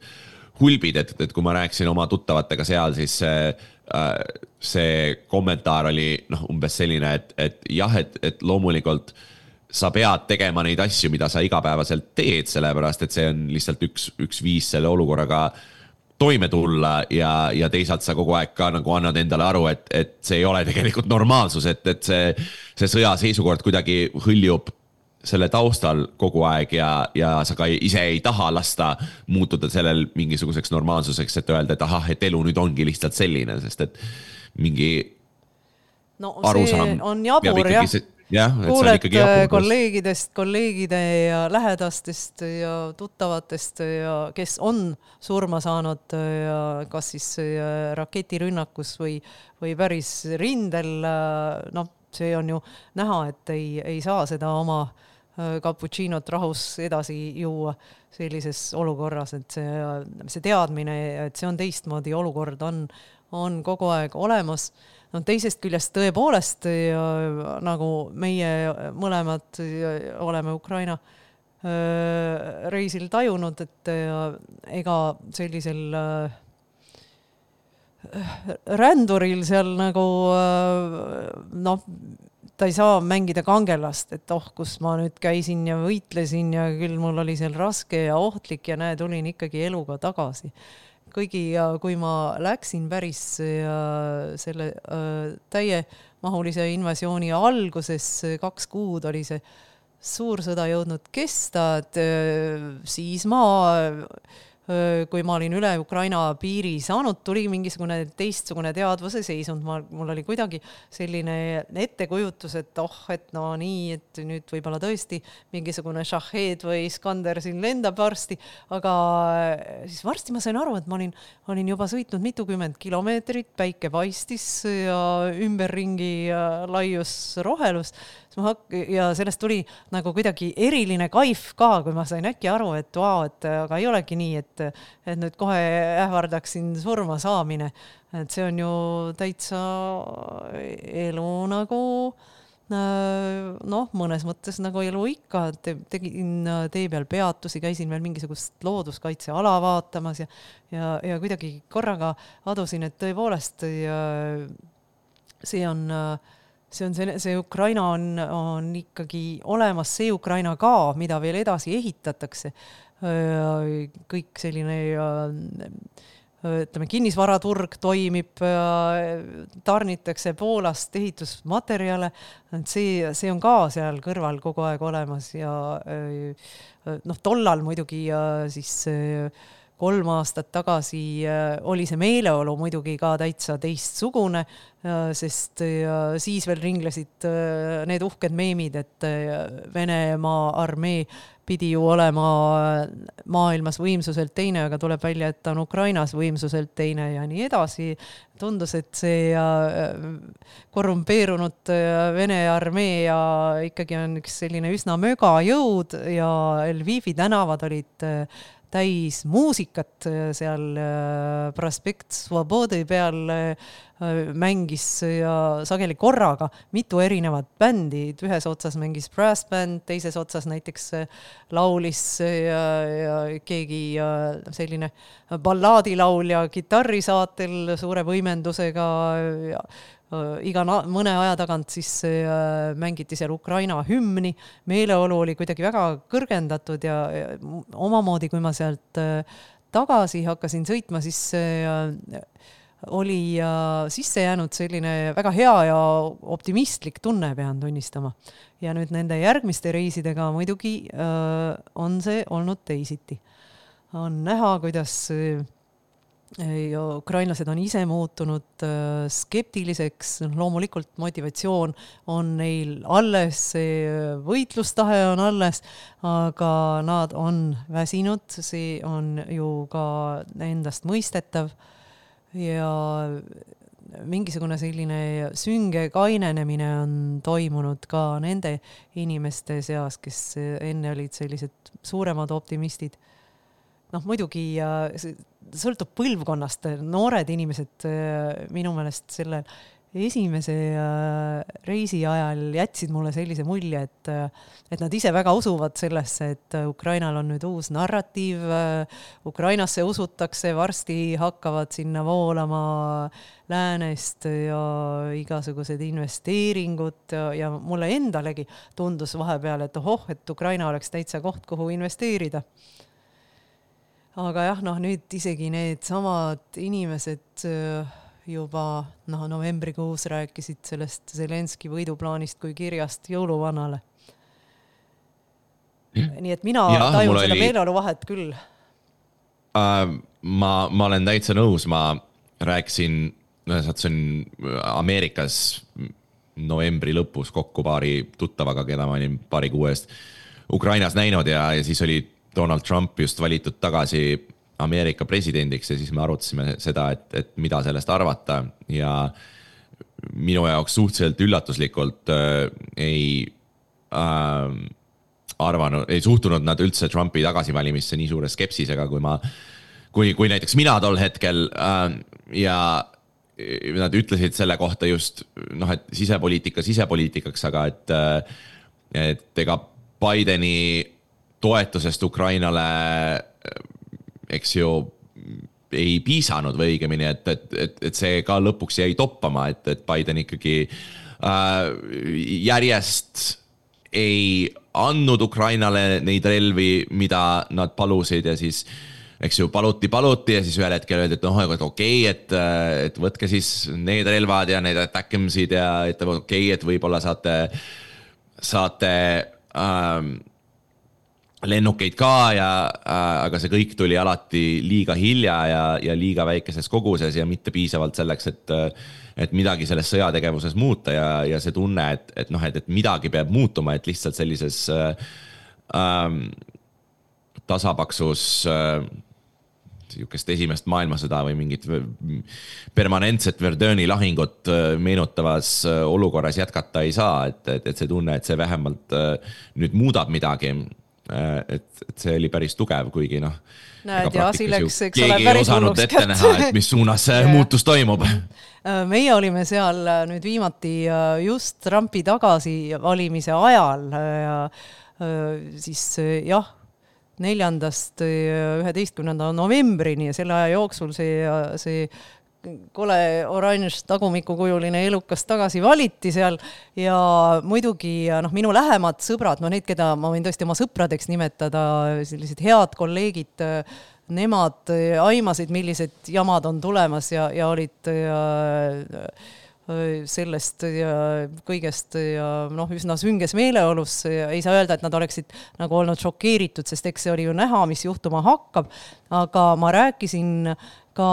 hulbid, et, et kui ma rääkisin oma tuttavatega seal, siis see, äh, see kommentaar oli noh, umbes selline, et, et jah, et, et loomulikult sa pead tegema neid asju, mida sa igapäevaselt teed, sellepärast et see on lihtsalt üks, üks viis selle olukorraga toime tulla ja, ja teisalt sa kogu aeg ka nagu annad endale aru, et, et see ei ole tegelikult normaalsus, et, et see, see sõja seisukord kuidagi hõljub selle taustal kogu aeg ja, ja sa ka ise ei taha lasta muutuda sellel mingisuguseks normaalsuseks, et öelda, et ahah, et elu nüüd ongi lihtsalt selline, sest et mingi
no,
arusaam
on jabur, jah.
See, jah,
kuuled kolleegidest, kolleegide ja lähedastest ja tuttavatest, ja kes on surma saanud ja kas siis raketirünnakus või, või päris rindel. No, see on ju näha, et ei, ei saa seda oma cappuccinot rahus edasi juua sellises olukorras, et see, see teadmine, et see on teistmoodi olukord, on, on kogu aeg olemas. No, teisest küljest tõepoolest ja, nagu meie mõlemad ja, oleme Ukraina äh, reisil tajunud, et ja, ega sellisel äh, ränduril seal nagu äh, noh, ta ei saa mängida kangelast, et oh, kus ma nüüd käisin ja võitlesin ja küll mul oli seal raske ja ohtlik ja näe, tulin ikkagi eluga tagasi. Kõigi ja kui ma läksin päris ja selle äh, täiemahulise invasiooni alguses, kaks kuud oli see suur sõda jõudnud kesta, et äh, siis ma, äh, kui ma olin üle Ukraina piiri saanud, tuli mingisugune teistsugune teadvuse seisund. Ma, mul oli kuidagi selline ettekujutus, et oh, et no nii, et nüüd võib-olla tõesti mingisugune Shahed või Iskander siin lendab varsti, aga siis varsti ma sain aru, et ma olin, olin juba sõitnud mitukümmend kilomeetrit, päike paistis ja ümberringi laius rohelus ja sellest tuli nagu kuidagi eriline kaif ka, kui ma sain äkki aru, et vau, et aga ei olegi nii, et, et nüüd kohe ähvardaksin surma saamine. et see on ju täitsa elu nagu noh, mõnes mõttes nagu elu ikka, Te, tegin tee peal peatusi, käisin veel mingisugust looduskaitseala vaatamas ja, ja, ja kuidagi korraga adusin, et tõepoolest ja see on, see on see, see Ukraina on, on ikkagi olemas, see Ukraina ka, mida veel edasi ehitatakse. Kõik selline ütleme, kinnisvaraturg toimib, tarnitakse Poolast ehitusmaterjale, see, see on ka seal kõrval kogu aeg olemas ja noh, tollal muidugi siis kolm aastat tagasi oli see meeleolu muidugi ka täitsa teistsugune, sest siis veel ringlesid need uhked meemid, et Venemaa armee pidi ju olema maailmas võimsuselt teine, aga tuleb välja, et ta on Ukrainas võimsuselt teine ja nii edasi. Tundus, et see korrumpeerunud Vene armee ja ikkagi on üks selline üsna möga jõud ja Lvivi tänavad olid täis muusikat seal Prospekt Svobodi peal mängis ja sageli korraga mitu erinevat bändi, ühes otsas mängis brass band, teises otsas näiteks laulis ja, ja keegi selline ballaadilaulja kitarrisaatel suure võimendusega ja iga na- mõne aja tagant siis mängiti seal Ukraina hümni, meeleolu oli kuidagi väga kõrgendatud ja, ja omamoodi, kui ma sealt tagasi hakkasin sõitma, siis oli sisse jäänud selline väga hea ja optimistlik tunne, pean tunnistama. Ja nüüd nende järgmiste reisidega muidugi on see olnud teisiti. On näha, kuidas ja ukrainlased on ise muutunud skeptiliseks, loomulikult motivatsioon on neil alles, see võitlustahe on alles, aga nad on väsinud, see on ju ka endast mõistetav ja mingisugune selline sünge kainenemine on toimunud ka nende inimeste seas, kes enne olid sellised suuremad optimistid. Noh, muidugi sõltub põlvkonnast, noored inimesed minu meelest selle esimese reisi ajal jätsid mulle sellise mulje, et, et nad ise väga usuvad sellesse, et Ukrainal on nüüd uus narratiiv, Ukrainasse usutakse, varsti hakkavad sinna voolama läänest ja igasugused investeeringud ja, ja mulle endalegi tundus vahepeal, et ohoh, et Ukraina oleks täitsa koht, kuhu investeerida. Aga jah, noh, nüüd isegi need samad inimesed juba noh, novembrikuus rääkisid sellest Zelenski võiduplaanist kui kirjast jõuluvanale. Nii et mina ja, tajun seda oli... meeleolu vahet küll.
Uh, ma, ma olen täitsa nõus, ma rääkisin, see on Ameerikas novembri lõpus kokku paari tuttavaga, keda ma olin paari kuu eest Ukrainas näinud ja, ja siis oli Donald Trump just valitud tagasi Ameerika presidendiks ja siis me arutasime seda, et, et mida sellest arvata ja minu jaoks suhteliselt üllatuslikult äh, ei äh, arvanud, ei suhtunud nad üldse Trumpi tagasivalimisse nii suure skepsisega, kui ma, kui, kui näiteks mina tol hetkel äh, ja nad ütlesid selle kohta just, noh, et sisepoliitika sisepoliitikaks, aga et, et ega Bideni toetusest Ukrainale eks ju ei piisanud või õigemini, et, et, et, et see ka lõpuks jäi toppama, et, et Biden ikkagi äh, järjest ei andnud Ukrainale neid relvi, mida nad palusid ja siis eks ju paluti, paluti ja siis ühel hetkel öeldi, et noh, et okei, et, et võtke siis need relvad ja need attackimsid ja et okei, et võib-olla saate, saate ähm, lennukeid ka ja äh, aga see kõik tuli alati liiga hilja ja, ja liiga väikeses koguses ja mitte piisavalt selleks, et, et midagi selles sõjategevuses muuta ja, ja see tunne, et, et, noh, et, et midagi peab muutuma, et lihtsalt sellises äh, äh, tasapaksus äh, siukest esimest maailmasõda või mingit permanentset Verduni lahingut meenutavas olukorras jätkata ei saa, et, et, et see tunne, et see vähemalt nüüd muudab midagi. et, et see oli päris tugev, kuigi noh,
näed ja asi läks, eks
keegi
ole,
ei
päris
osanud
hulluks
ette näha, et mis suunas see muutus toimub.
Meie olime seal nüüd viimati just Trumpi tagasi valimise ajal ja siis jah, neljandast üheteistkümnenda novembrini ja selle aja jooksul see, see kole oranž tagumikukujuline elukas tagasi valiti seal ja muidugi noh, minu lähemad sõbrad, no need, keda ma võin tõesti oma sõpradeks nimetada, sellised head kolleegid, nemad aimasid, millised jamad on tulemas ja, ja olid ja, sellest ja kõigest ja noh, üsna sünges meeleolus. Ei saa öelda, et nad oleksid nagu olnud šokeeritud, sest eks see oli ju näha, mis juhtuma hakkab, aga ma rääkisin ka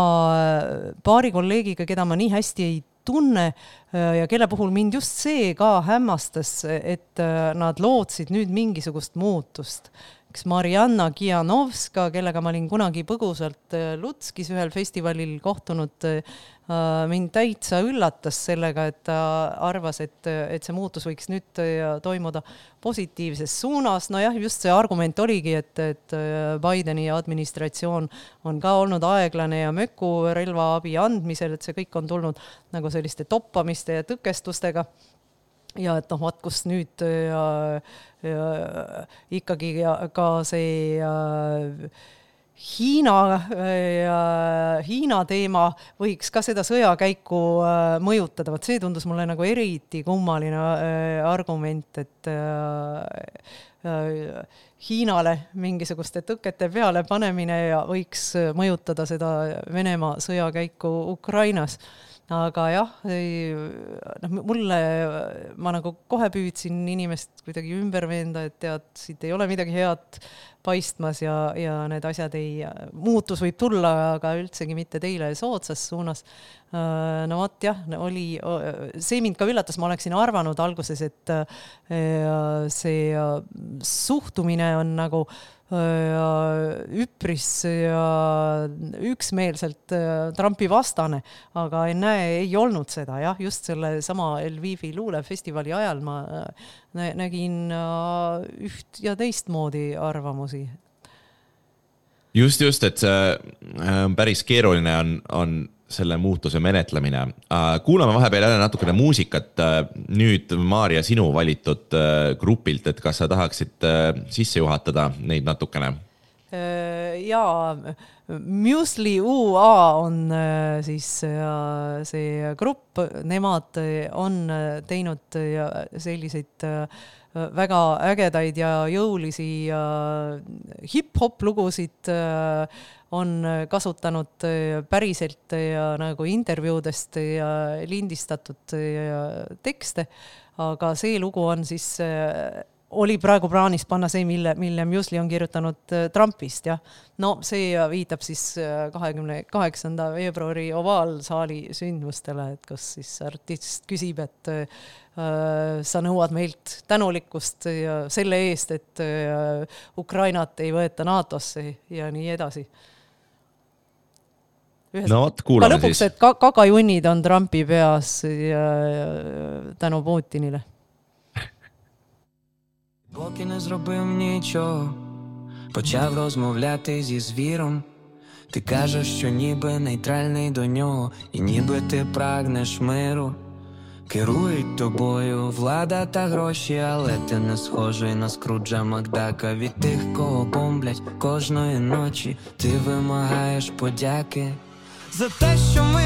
paari kolleegiga, keda ma nii hästi ei tunne ja kelle puhul mind just see ka hämmastas, et nad lootsid nüüd mingisugust muutust. Eks Marianna Kianovska, kellega ma olin kunagi põgusalt Lutskis ühel festivalil kohtunud, mind täitsa üllatas sellega, et ta arvas, et, et see muutus võiks nüüd toimuda positiivses suunas. No jah, just see argument oligi, et, et Bideni administratsioon on ka olnud aeglane ja möku relvaabi andmisel, et see kõik on tulnud nagu selliste toppamiste ja tõkestustega. Ja et noh, vaat kus nüüd ja, ja, ikkagi ja, ka see ja, Hiina ja Hiina teema võiks ka seda sõjakäiku mõjutada. Vaat see tundus mulle nagu eriti kummaline argument, et Hiinale mingisuguste tõkete peale panemine ja võiks mõjutada seda Venemaa sõjakäiku Ukrainas. Aga jah, noh, mulle, ma nagu kohe püüdsin inimest kuidagi ümber veenda, et tead, siit ei ole midagi head paistmas ja, ja need asjad ei, muutus võib tulla, aga üldsegi mitte teile soodsas suunas. No vaat jah, oli, see mind ka üllatas, ma oleksin arvanud alguses, et see suhtumine on nagu üpris ja üksmeelselt Trumpi vastane, aga ei näe, ei olnud seda, jah, just selle sama Lvivi luulefestivali ajal ma nägin üht ja teistmoodi arvamusi.
Just, just, et see päris keeruline on, on selle muutuse menetlemine. Kuulame vahepeal jälle natukene muusikat. Nüüd Maarja sinu valitud grupilt, et kas sa tahaksid sisse juhatada neid natukene?
Jaa, Musli U A on siis see grupp, nemad on teinud selliseid väga ägedaid ja jõulisi hip-hop lugusid, on kasutanud päriselt ja nagu intervjuudest ja lindistatud tekste, aga see lugu on siis, oli praegu plaanis panna see, mille, mille Musli on kirjutanud Trumpist. Ja. No see viitab siis kahekümne kaheksanda veebruari ovaalsaali sündmustele, et kus siis artist küsib, et sa nõuad meilt tänulikkust ja selle eest, et Ukrainat ei võeta NATOsse ja nii edasi. Ühes,
no vot, kuulame
lõpuks,
siis.
Et kakajunnid on Trumpi peas ja, ja tänu Putinile.
Поки не зробив нічого, почав розмовляти зі звіром. Ти кажеш, що ніби нейтральний до нього, і ніби ти прагнеш миру. Керують тобою влада та гроші, але ти не схожий на Скруджа Макдака. Від тих, кого бомблять кожної ночі, ти вимагаєш подяки. За те, що ми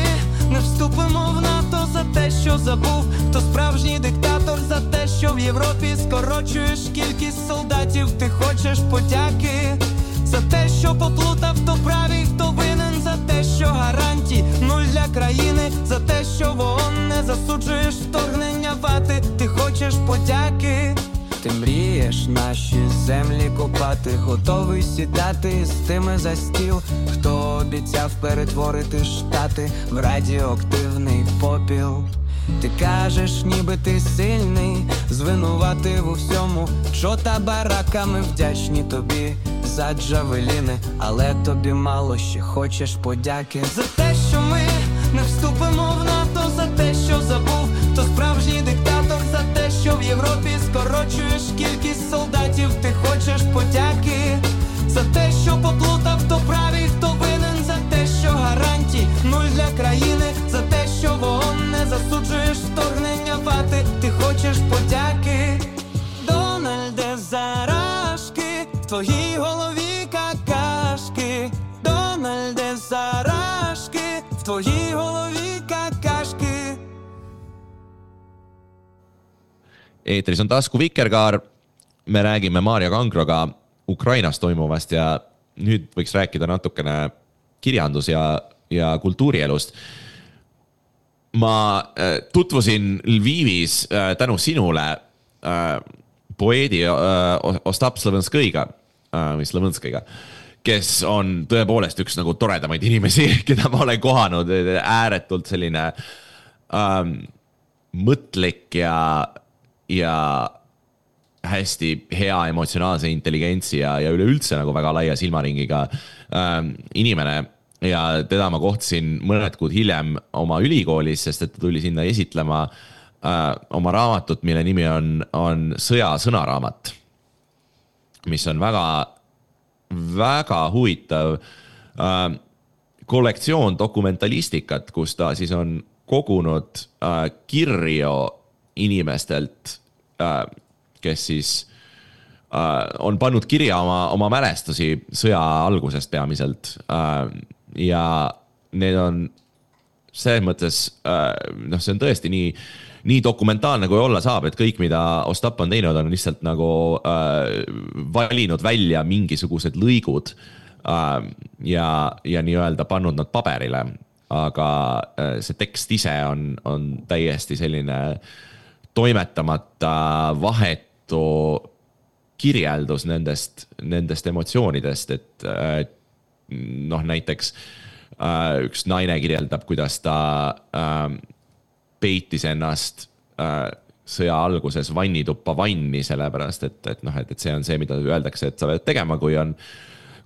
не вступимо в НАТО, за те, що забув, хто справжній диктатор, за те, що в Європі скорочуєш кількість солдатів, ти хочеш подяки. За те, що поплутав, хто правий, хто винен, за те, що гарантій нуль для країни, за те, що в ООН не засуджуєш вторгнення вати, ти хочеш подяки. Ти мрієш наші землі копати, готовий сідати з тими за стіл, хто обіцяв перетворити штати в радіоактивний попіл. Ти кажеш, ніби ти сильний, звинуватив у всьому, що та бараками вдячні тобі за джавеліни, але тобі мало ще хочеш подяки. За те, що ми не вступимо в НАТО, за те, що забув, хто справжній диктатор, за те, що в Європі скорочуєш кількість солдатів, ти хочеш подяки. твоїй голові какашки, Дональде Зарашки, в твоїй голові какашки.
Eetris on Tasku Vikerkaar. Me räägime Maarja Kangroga Ukrainas toimuvast ja nüüd võiks rääkida natukene kirjandus- ja, ja kultuurielust. Ma tutvusin Lvivis tänu sinule poeedi Ostap Slovenskõiga, või Slovenskõiga, kes on tõepoolest üks nagu toredamaid inimesi, keda ma olen kohanud, ääretult selline ähm, mõtlik ja, ja hästi hea emotsionaalse intelligentsi ja, ja üleüldse nagu väga laia silmaringiga ähm, inimene. Ja teda ma kohtasin mõned kuud hiljem oma ülikoolis, sest et ta tuli sinna esitlema äh, oma raamatut, mille nimi on, on Sõja sõnaraamat, mis on väga, väga huvitav äh, kollektsioon dokumentalistikat, kus ta siis on kogunud äh, kirju inimestelt, äh, kes siis äh, on pannud kirja oma, oma mälestusi sõja algusest peamiselt. Äh, ja need on selles mõttes, noh, see on tõesti nii, nii dokumentaalne kui olla saab, et kõik, mida Ostap on teinud, on lihtsalt nagu äh, valinud välja mingisugused lõigud äh, ja, ja nii-öelda pannud nad paberile, aga äh, see tekst ise on, on täiesti selline toimetamata vahetu kirjeldus nendest, nendest emotsioonidest, et äh, noh, näiteks äh, üks naine kirjeldab, kuidas ta äh, peitis ennast äh, sõja alguses vannituppa vanni, sellepärast, et, et, noh, et, et see on see, mida öeldakse, et sa pead tegema, kui on,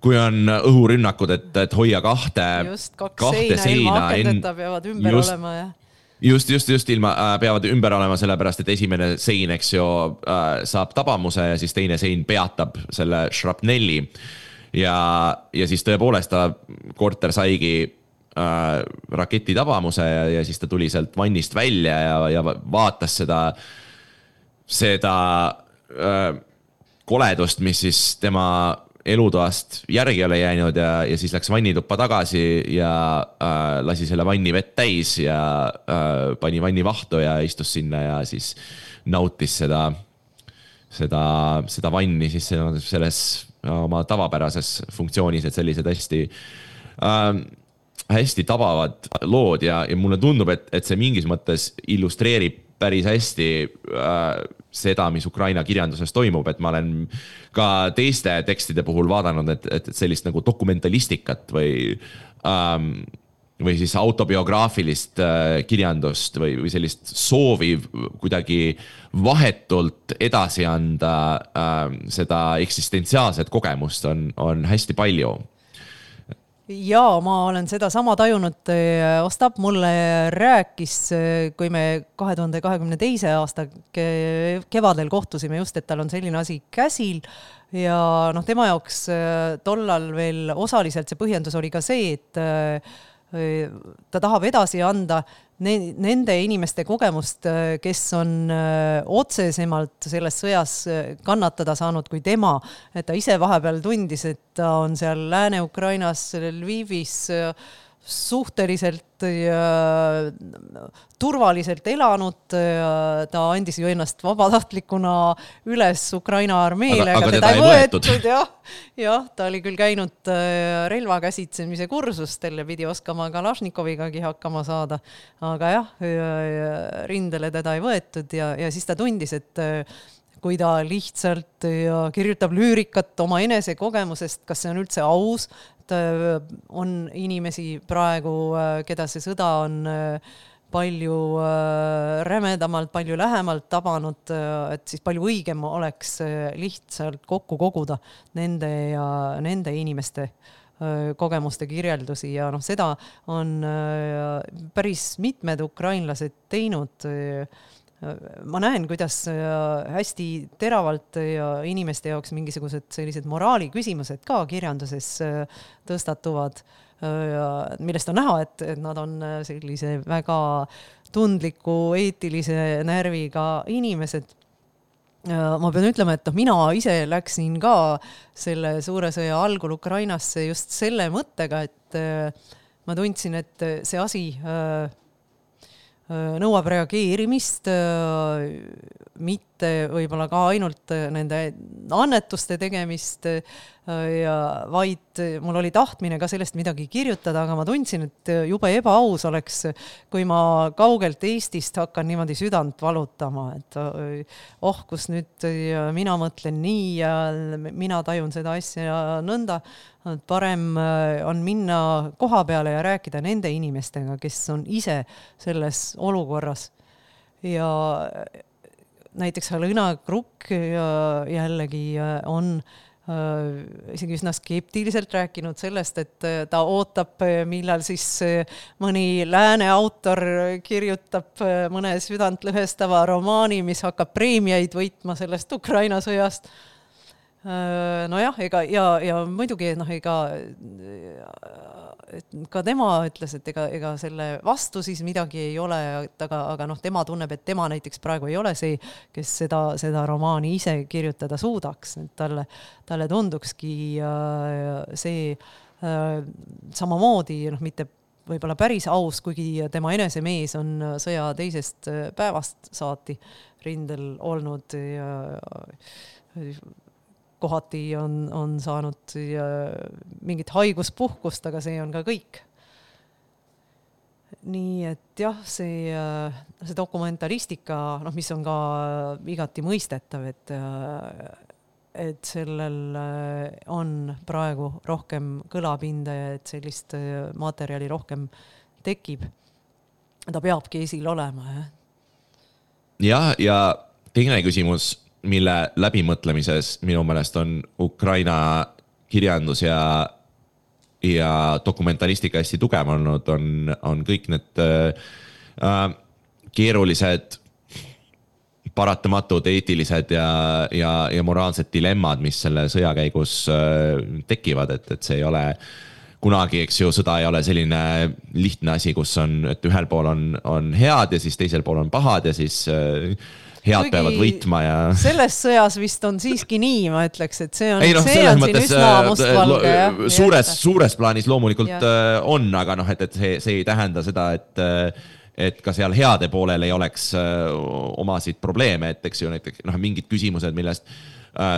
kui on õhurünnakud, et, et hoia kahte,
just, kaks
kahte
seina, ilma akendeta peavad ümber
just,
olema. Ja.
Just, just, just ilma äh, peavad ümber olema, sellepärast, et esimene sein, eks ju, äh, saab tabamuse ja siis teine sein peatab selle šrapnelli. Ja, ja siis tõepoolest ta korter saigi äh, raketi tabamuse ja, ja siis ta tuli sealt vannist välja ja, ja vaatas seda, seda äh, koledust, mis siis tema elutoast järgi oli jäänud ja, ja siis läks vannituppa tagasi ja äh, lasi selle vanni vett täis ja äh, pani vanni vahtu ja istus sinna ja siis nautis seda, seda, seda vanni siis selles oma tavapärases funktsioonis, et sellised hästi, äh, hästi tabavad lood ja, ja mulle tundub, et, et see mingis mõttes illustreerib päris hästi äh, seda, mis Ukraina kirjanduses toimub, et ma olen ka teiste tekstide puhul vaadanud, et, et sellist nagu dokumentalistikat või, ähm, või siis autobiograafilist äh, kirjandust või, või sellist soovi kuidagi vahetult edasi anda äh, seda eksistentsiaalset kogemust on, on hästi palju.
Jaa, ma olen seda sama tajunud. Ostap mulle rääkis, kui me kahe tuhande kahekümne teise aasta kevadel kohtusime just, et tal on selline asi käsil ja noh, tema jaoks tollal veel osaliselt see põhjendus oli ka see, et ta tahab edasi anda nende inimeste kogemust, kes on otsesemalt selles sõjas kannatada saanud kui tema, et ta ise vahepeal tundis, et ta on seal Lääne-Ukrainas, Lvivis suhteliselt ja turvaliselt elanud, ta andis ju ennast vabatahtlikuna üles Ukraina armeele,
aga, aga
teda ei võetud,
võetud.
jah, jah, ta oli küll käinud relvakäsitsemise kursustele, pidi oskama Kalašnikovigagi hakkama saada, aga jah, rindele teda ei võetud ja, ja siis ta tundis, et kui ta lihtsalt kirjutab lüürikat oma enese kogemusest, kas see on üldse aus, on inimesi praegu, keda see sõda on palju rämedamalt, palju lähemalt tabanud, et siis palju õigem oleks lihtsalt kokku koguda nende ja nende inimeste kogemuste kirjeldusi ja noh, seda on päris mitmed ukrainlased teinud. Ma näen, kuidas hästi teravalt ja inimeste jaoks mingisugused sellised moraali küsimused ka kirjanduses tõstatuvad, millest on näha, et, et nad on sellise väga tundliku, eetilise närviga inimesed. ma pean ütlema, et noh, mina ise läksin ka selle suure sõja algul Ukrainasse just selle mõttega, et ma tundsin, et see asi nõuab reageerimist, mitte võib-olla ka ainult nende annetuste tegemist, ja vaid mul oli tahtmine ka sellest midagi kirjutada, aga ma tundsin, et juba ebaaus oleks, kui ma kaugelt Eestist hakkan niimoodi südant valutama, et oh, kus nüüd mina mõtlen nii ja mina tajun seda asja nõnda, et parem on minna koha peale ja rääkida nende inimestega, kes on ise selles olukorras. Ja näiteks Halina Krukk jällegi on isegi üsna skeptiliselt rääkinud sellest, et ta ootab, millal siis mõni lääne autor kirjutab mõne südantlõhestava romaani, mis hakkab preemiaid võitma sellest Ukraina sõjast. Nojah, ega, ja, ja muidugi noh, ega ka tema ütles, et ega, ega selle vastu siis midagi ei ole, aga, aga noh, tema tunneb, et tema näiteks praegu ei ole see, kes seda, seda romaani ise kirjutada suudaks, et talle, talle tundukski see samamoodi, noh, mitte võib-olla päris aus, kuigi tema enesemees on sõja teisest päevast saati rindel olnud ja kohati on, on saanud mingit haiguspuhkust, aga see on ka kõik. Nii et jah, see, see dokumentalistika, noh, mis on ka igati mõistetav, et, et sellel on praegu rohkem kõlapinda ja et sellist materjali rohkem tekib. Ta peabki esil olema.
Ja, ja teine küsimus, mille läbimõtlemises minu meelest on Ukraina kirjandus ja, ja dokumentalistika hästi tugev olnud, on, on kõik need äh, keerulised, paratamatud, eetilised ja, ja, ja moraalsed dilemmad, mis selle sõja käigus äh, tekivad, et, et see ei ole kunagi, eks ju, sõda ei ole selline lihtne asi, kus on, et ühel pool on, on head ja siis teisel pool on pahad ja siis äh, head peavad võitma ja...
Selles sõjas vist on siiski nii, ma ütleks, et see on, ei, no, see on siin üsna mustvalge.
Suures, suures plaanis loomulikult ja. On, aga noh, et, et see, see ei tähenda seda, et, et ka seal heade poolel ei oleks omasid probleeme, et eks ju näiteks noh, mingid küsimused, millest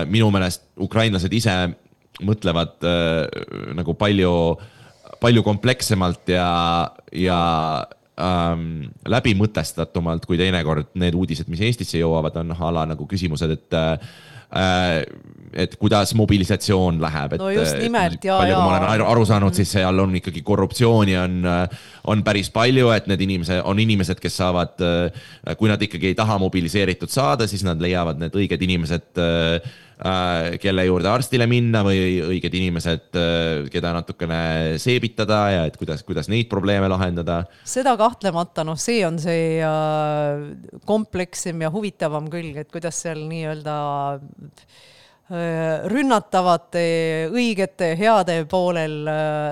minu meelest ukrainlased ise mõtlevad nagu palju, palju komplekssemalt ja, ja Ähm, läbi mõtestatumalt kui teinekord need uudised, mis Eestisse jõuavad, on ala nagu küsimused, et, äh, et kuidas mobilisatsioon läheb. Et,
no just nimelt, ja,
palju, ja. Kui ma olen aru saanud, siis seal on ikkagi korruptsiooni on, on päris palju, et need inimesed, on inimesed, kes saavad, kui nad ikkagi ei taha mobiliseeritud saada, siis nad leiavad need õiged inimesed, kelle juurde arstile minna või õiged inimesed, keda natukene seebitada ja et kuidas, kuidas neid probleeme lahendada.
Seda kahtlemata, noh, see on see komplekssem ja huvitavam külg, et kuidas seal nii-öelda rünnatavate, õigete, heade poolel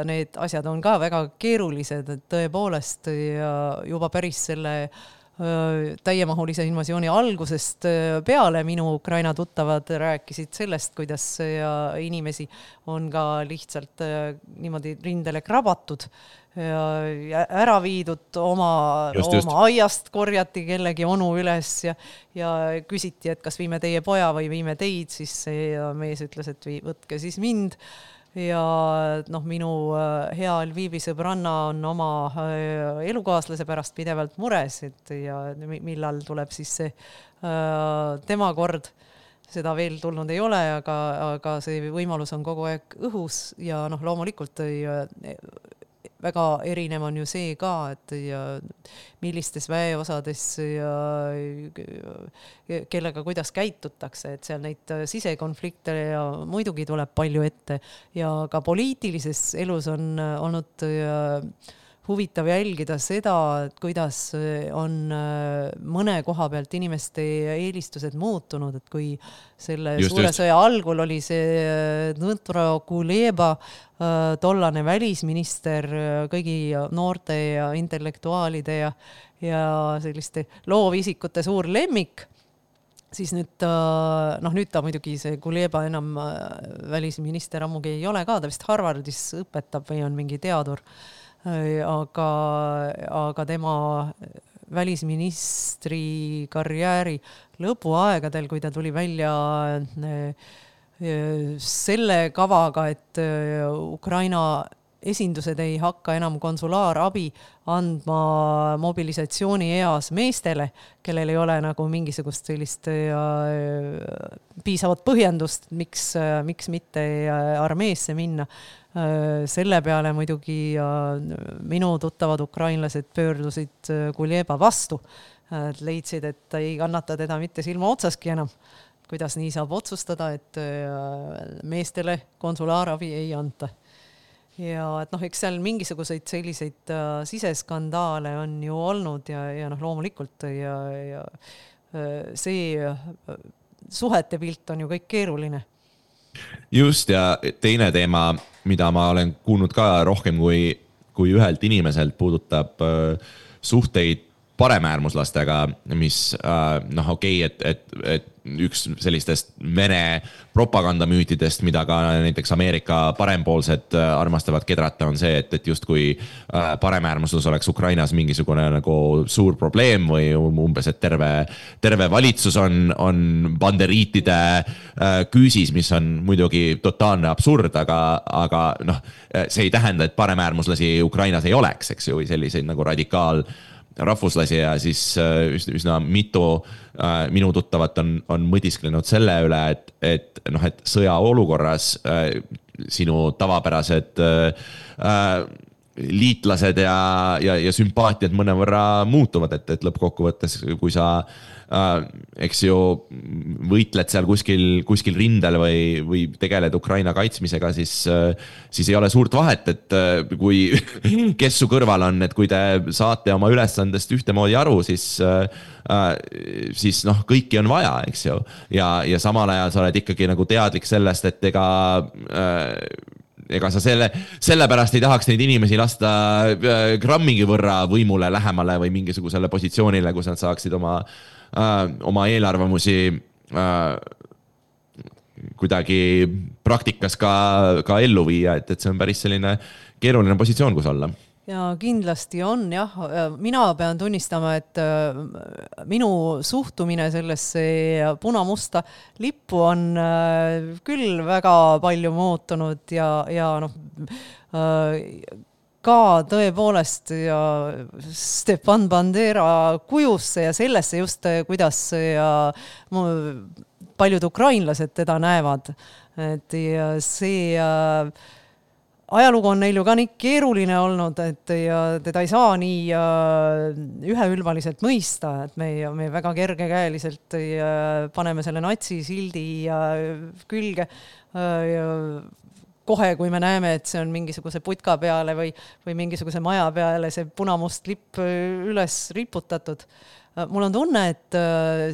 need asjad on ka väga keerulised, et tõepoolest juba päris selle täiemahulise invasiooni algusest peale minu Ukraina tuttavad rääkisid sellest, kuidas inimesi on ka lihtsalt niimoodi rindele krabatud ja ära viidud oma, just, just. oma aiast korjati kellegi onu üles ja, ja küsiti, et kas viime teie poja või viime teid, siis see mees ütles, et võtke siis mind. Ja noh, minu hea Lvivi sõbranna on oma elukaaslase pärast pidevalt mures, et ja millal tuleb siis see tema kord. Seda veel tulnud ei ole, aga, aga see võimalus on kogu aeg õhus ja noh, loomulikult ei, väga erinev on ju see ka, et ja millistes väeosades ja kellega kuidas käitutakse, et seal neid sisekonflikte ja muidugi tuleb palju ette ja ka poliitilises elus on olnud huvitav jälgida seda, et kuidas on mõne koha pealt inimeste eelistused muutunud, et kui selle just, suure just. Sõja algul oli see Dmytro Kuleba, tollane välisminister, kõigi noorte ja intellektuaalide ja, ja selliste loovisikute suur lemmik, siis nüüd, noh nüüd ta muidugi see Kuleba enam välisminister ammugi ei ole ka, ta vist Harvardis õpetab või on mingi teadur, aga, aga tema välisministri karjääri lõpuaegadel, kui ta tuli välja selle kavaga, et Ukraina esindused ei hakka enam konsulaarabi andma mobilisatsiooni eas meestele, kellel ei ole nagu mingisugust sellist piisavat põhjendust, miks, miks mitte armeesse minna. Selle peale muidugi minu tuttavad ukrainlased pöördusid Kuleba vastu. Leidsid, et ei kannata teda mitte silma otsaski enam. Kuidas nii saab otsustada, et meestele konsulaarabi ei anta. Ja et noh, eks seal mingisuguseid selliseid uh, siseskandaale on ju olnud ja, ja noh, loomulikult ja, ja uh, see uh, suhete pilt on ju kõik keeruline.
Just, ja teine teema, mida ma olen kuulnud ka rohkem kui, kui ühelt inimeselt, puudutab uh, suhteid paremäärmuslastega, mis uh, noh, okei, okay, et, et, et üks sellistest Vene propagandamüütidest, mida ka näiteks Ameerika parempoolsed armastavad kedrata, on see, et, et just kui paremäärmuslus oleks Ukrainas mingisugune nagu suur probleem või umbes, et terve, terve valitsus on, on banderiitide küüsis, mis on muidugi totaalne absurd, aga, aga noh, see ei tähenda, et paremäärmuslasi Ukrainas ei oleks, eks ju, või selliseid nagu radikaal rahvuslasi ja siis üsna mitu äh, minu tuttavat on, on mõtisklenud selle üle, et, et, noh, et sõja olukorras äh, sinu tavapärased äh, liitlased ja, ja, ja sümpaatiad mõnevõrra muutuvad, et, et lõppkokkuvõttes, kui sa äh, eks ju võitled seal kuskil, kuskil rindel või, või tegeled Ukraina kaitsmisega, siis, äh, siis ei ole suurt vahet, et äh, kui kes su kõrval on, et kui te saate oma ülesandest ühtemoodi aru, siis, äh, siis noh, kõiki on vaja, eks ju. Ja, ja samal ajal sa oled ikkagi nagu teadlik sellest, et ega äh, ega sa selle, selle pärast ei tahaks neid inimesi lasta grammigi võrra võimule lähemale või mingisugusele positsioonile, kus nad saaksid oma, äh, oma eelarvamusi äh, kuidagi praktikas ka, ka ellu viia, et, et see on päris selline keeruline positsioon, kus olla.
Ja kindlasti on, jah. Mina pean tunnistama, et minu suhtumine sellesse punamusta lippu on küll väga palju muutunud ja, ja noh, ka tõepoolest ja Stepan Bandera kujusse ja sellesse just, kuidas ja paljud ukrainlased teda näevad. Et ja see ajalugu on neil ju ka nii keeruline olnud, et ja teda ei saa nii üheülbaliselt mõista, et me, me väga kergekäeliselt paneme selle natsisildi külge ja kohe, kui me näeme, et see on mingisuguse putka peale või, või mingisuguse maja peale see punamust lipp üles riputatud. Mul on tunne, et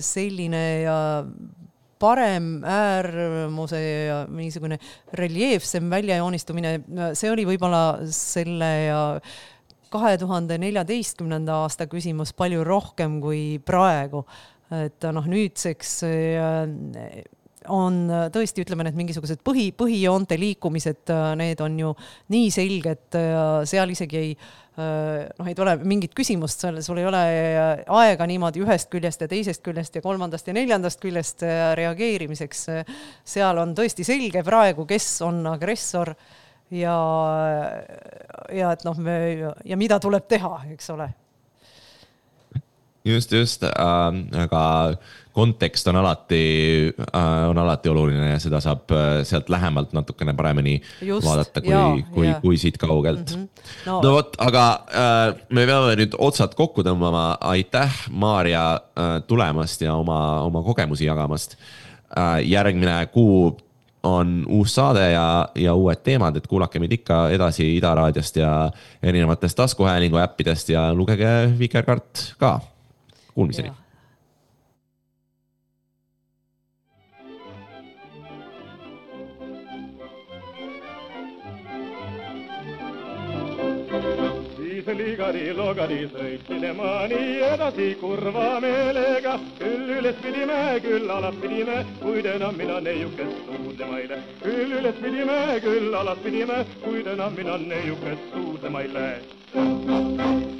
selline ja parem äärmuse ja mingisugune reljeefsem väljajoonistumine, see oli võib-olla selle kahe tuhande neljateistkümnenda aasta küsimus palju rohkem kui praegu. Et noh, nüüdseks on tõesti, ütleme, need mingisugused põhi, põhijoonte liikumised, need on ju nii selged, seal isegi ei noh, ei tule mingit küsimust, sul ei ole aega niimoodi ühest küljest ja teisest küljest ja kolmandast ja neljandast küljest reageerimiseks. Seal on tõesti selge praegu, kes on agressor ja, ja, et noh, me, ja mida tuleb teha, eks ole.
Just, just, äh, aga kontekst on alati, äh, on alati oluline ja seda saab sealt lähemalt natukene paremini just, vaadata kui, jaa, kui, kui siit kaugelt. Mm-hmm. No, no vot, aga äh, me peame nüüd otsad kokku tõmbama. Aitäh, Maarja, äh, tulemast ja oma, oma kogemusi jagamast. Äh, järgmine kuu on uus saade ja, ja uued teemad, et kuulake meid ikka edasi Ida Raadiost ja erinevatest taskuhäälingu äppidest ja lugege Vikerkaart ka. Kuulmiseni.
siis ligadi logadi sõitsime ma nii edasi kurva meelega. Küll üles pidime, küll alas pidime, kuid enam mina neiukest suudlema ei lähe. Küll üles pidime, küll alas pidime, kuid enam mina neiukest suudlema ei lähe.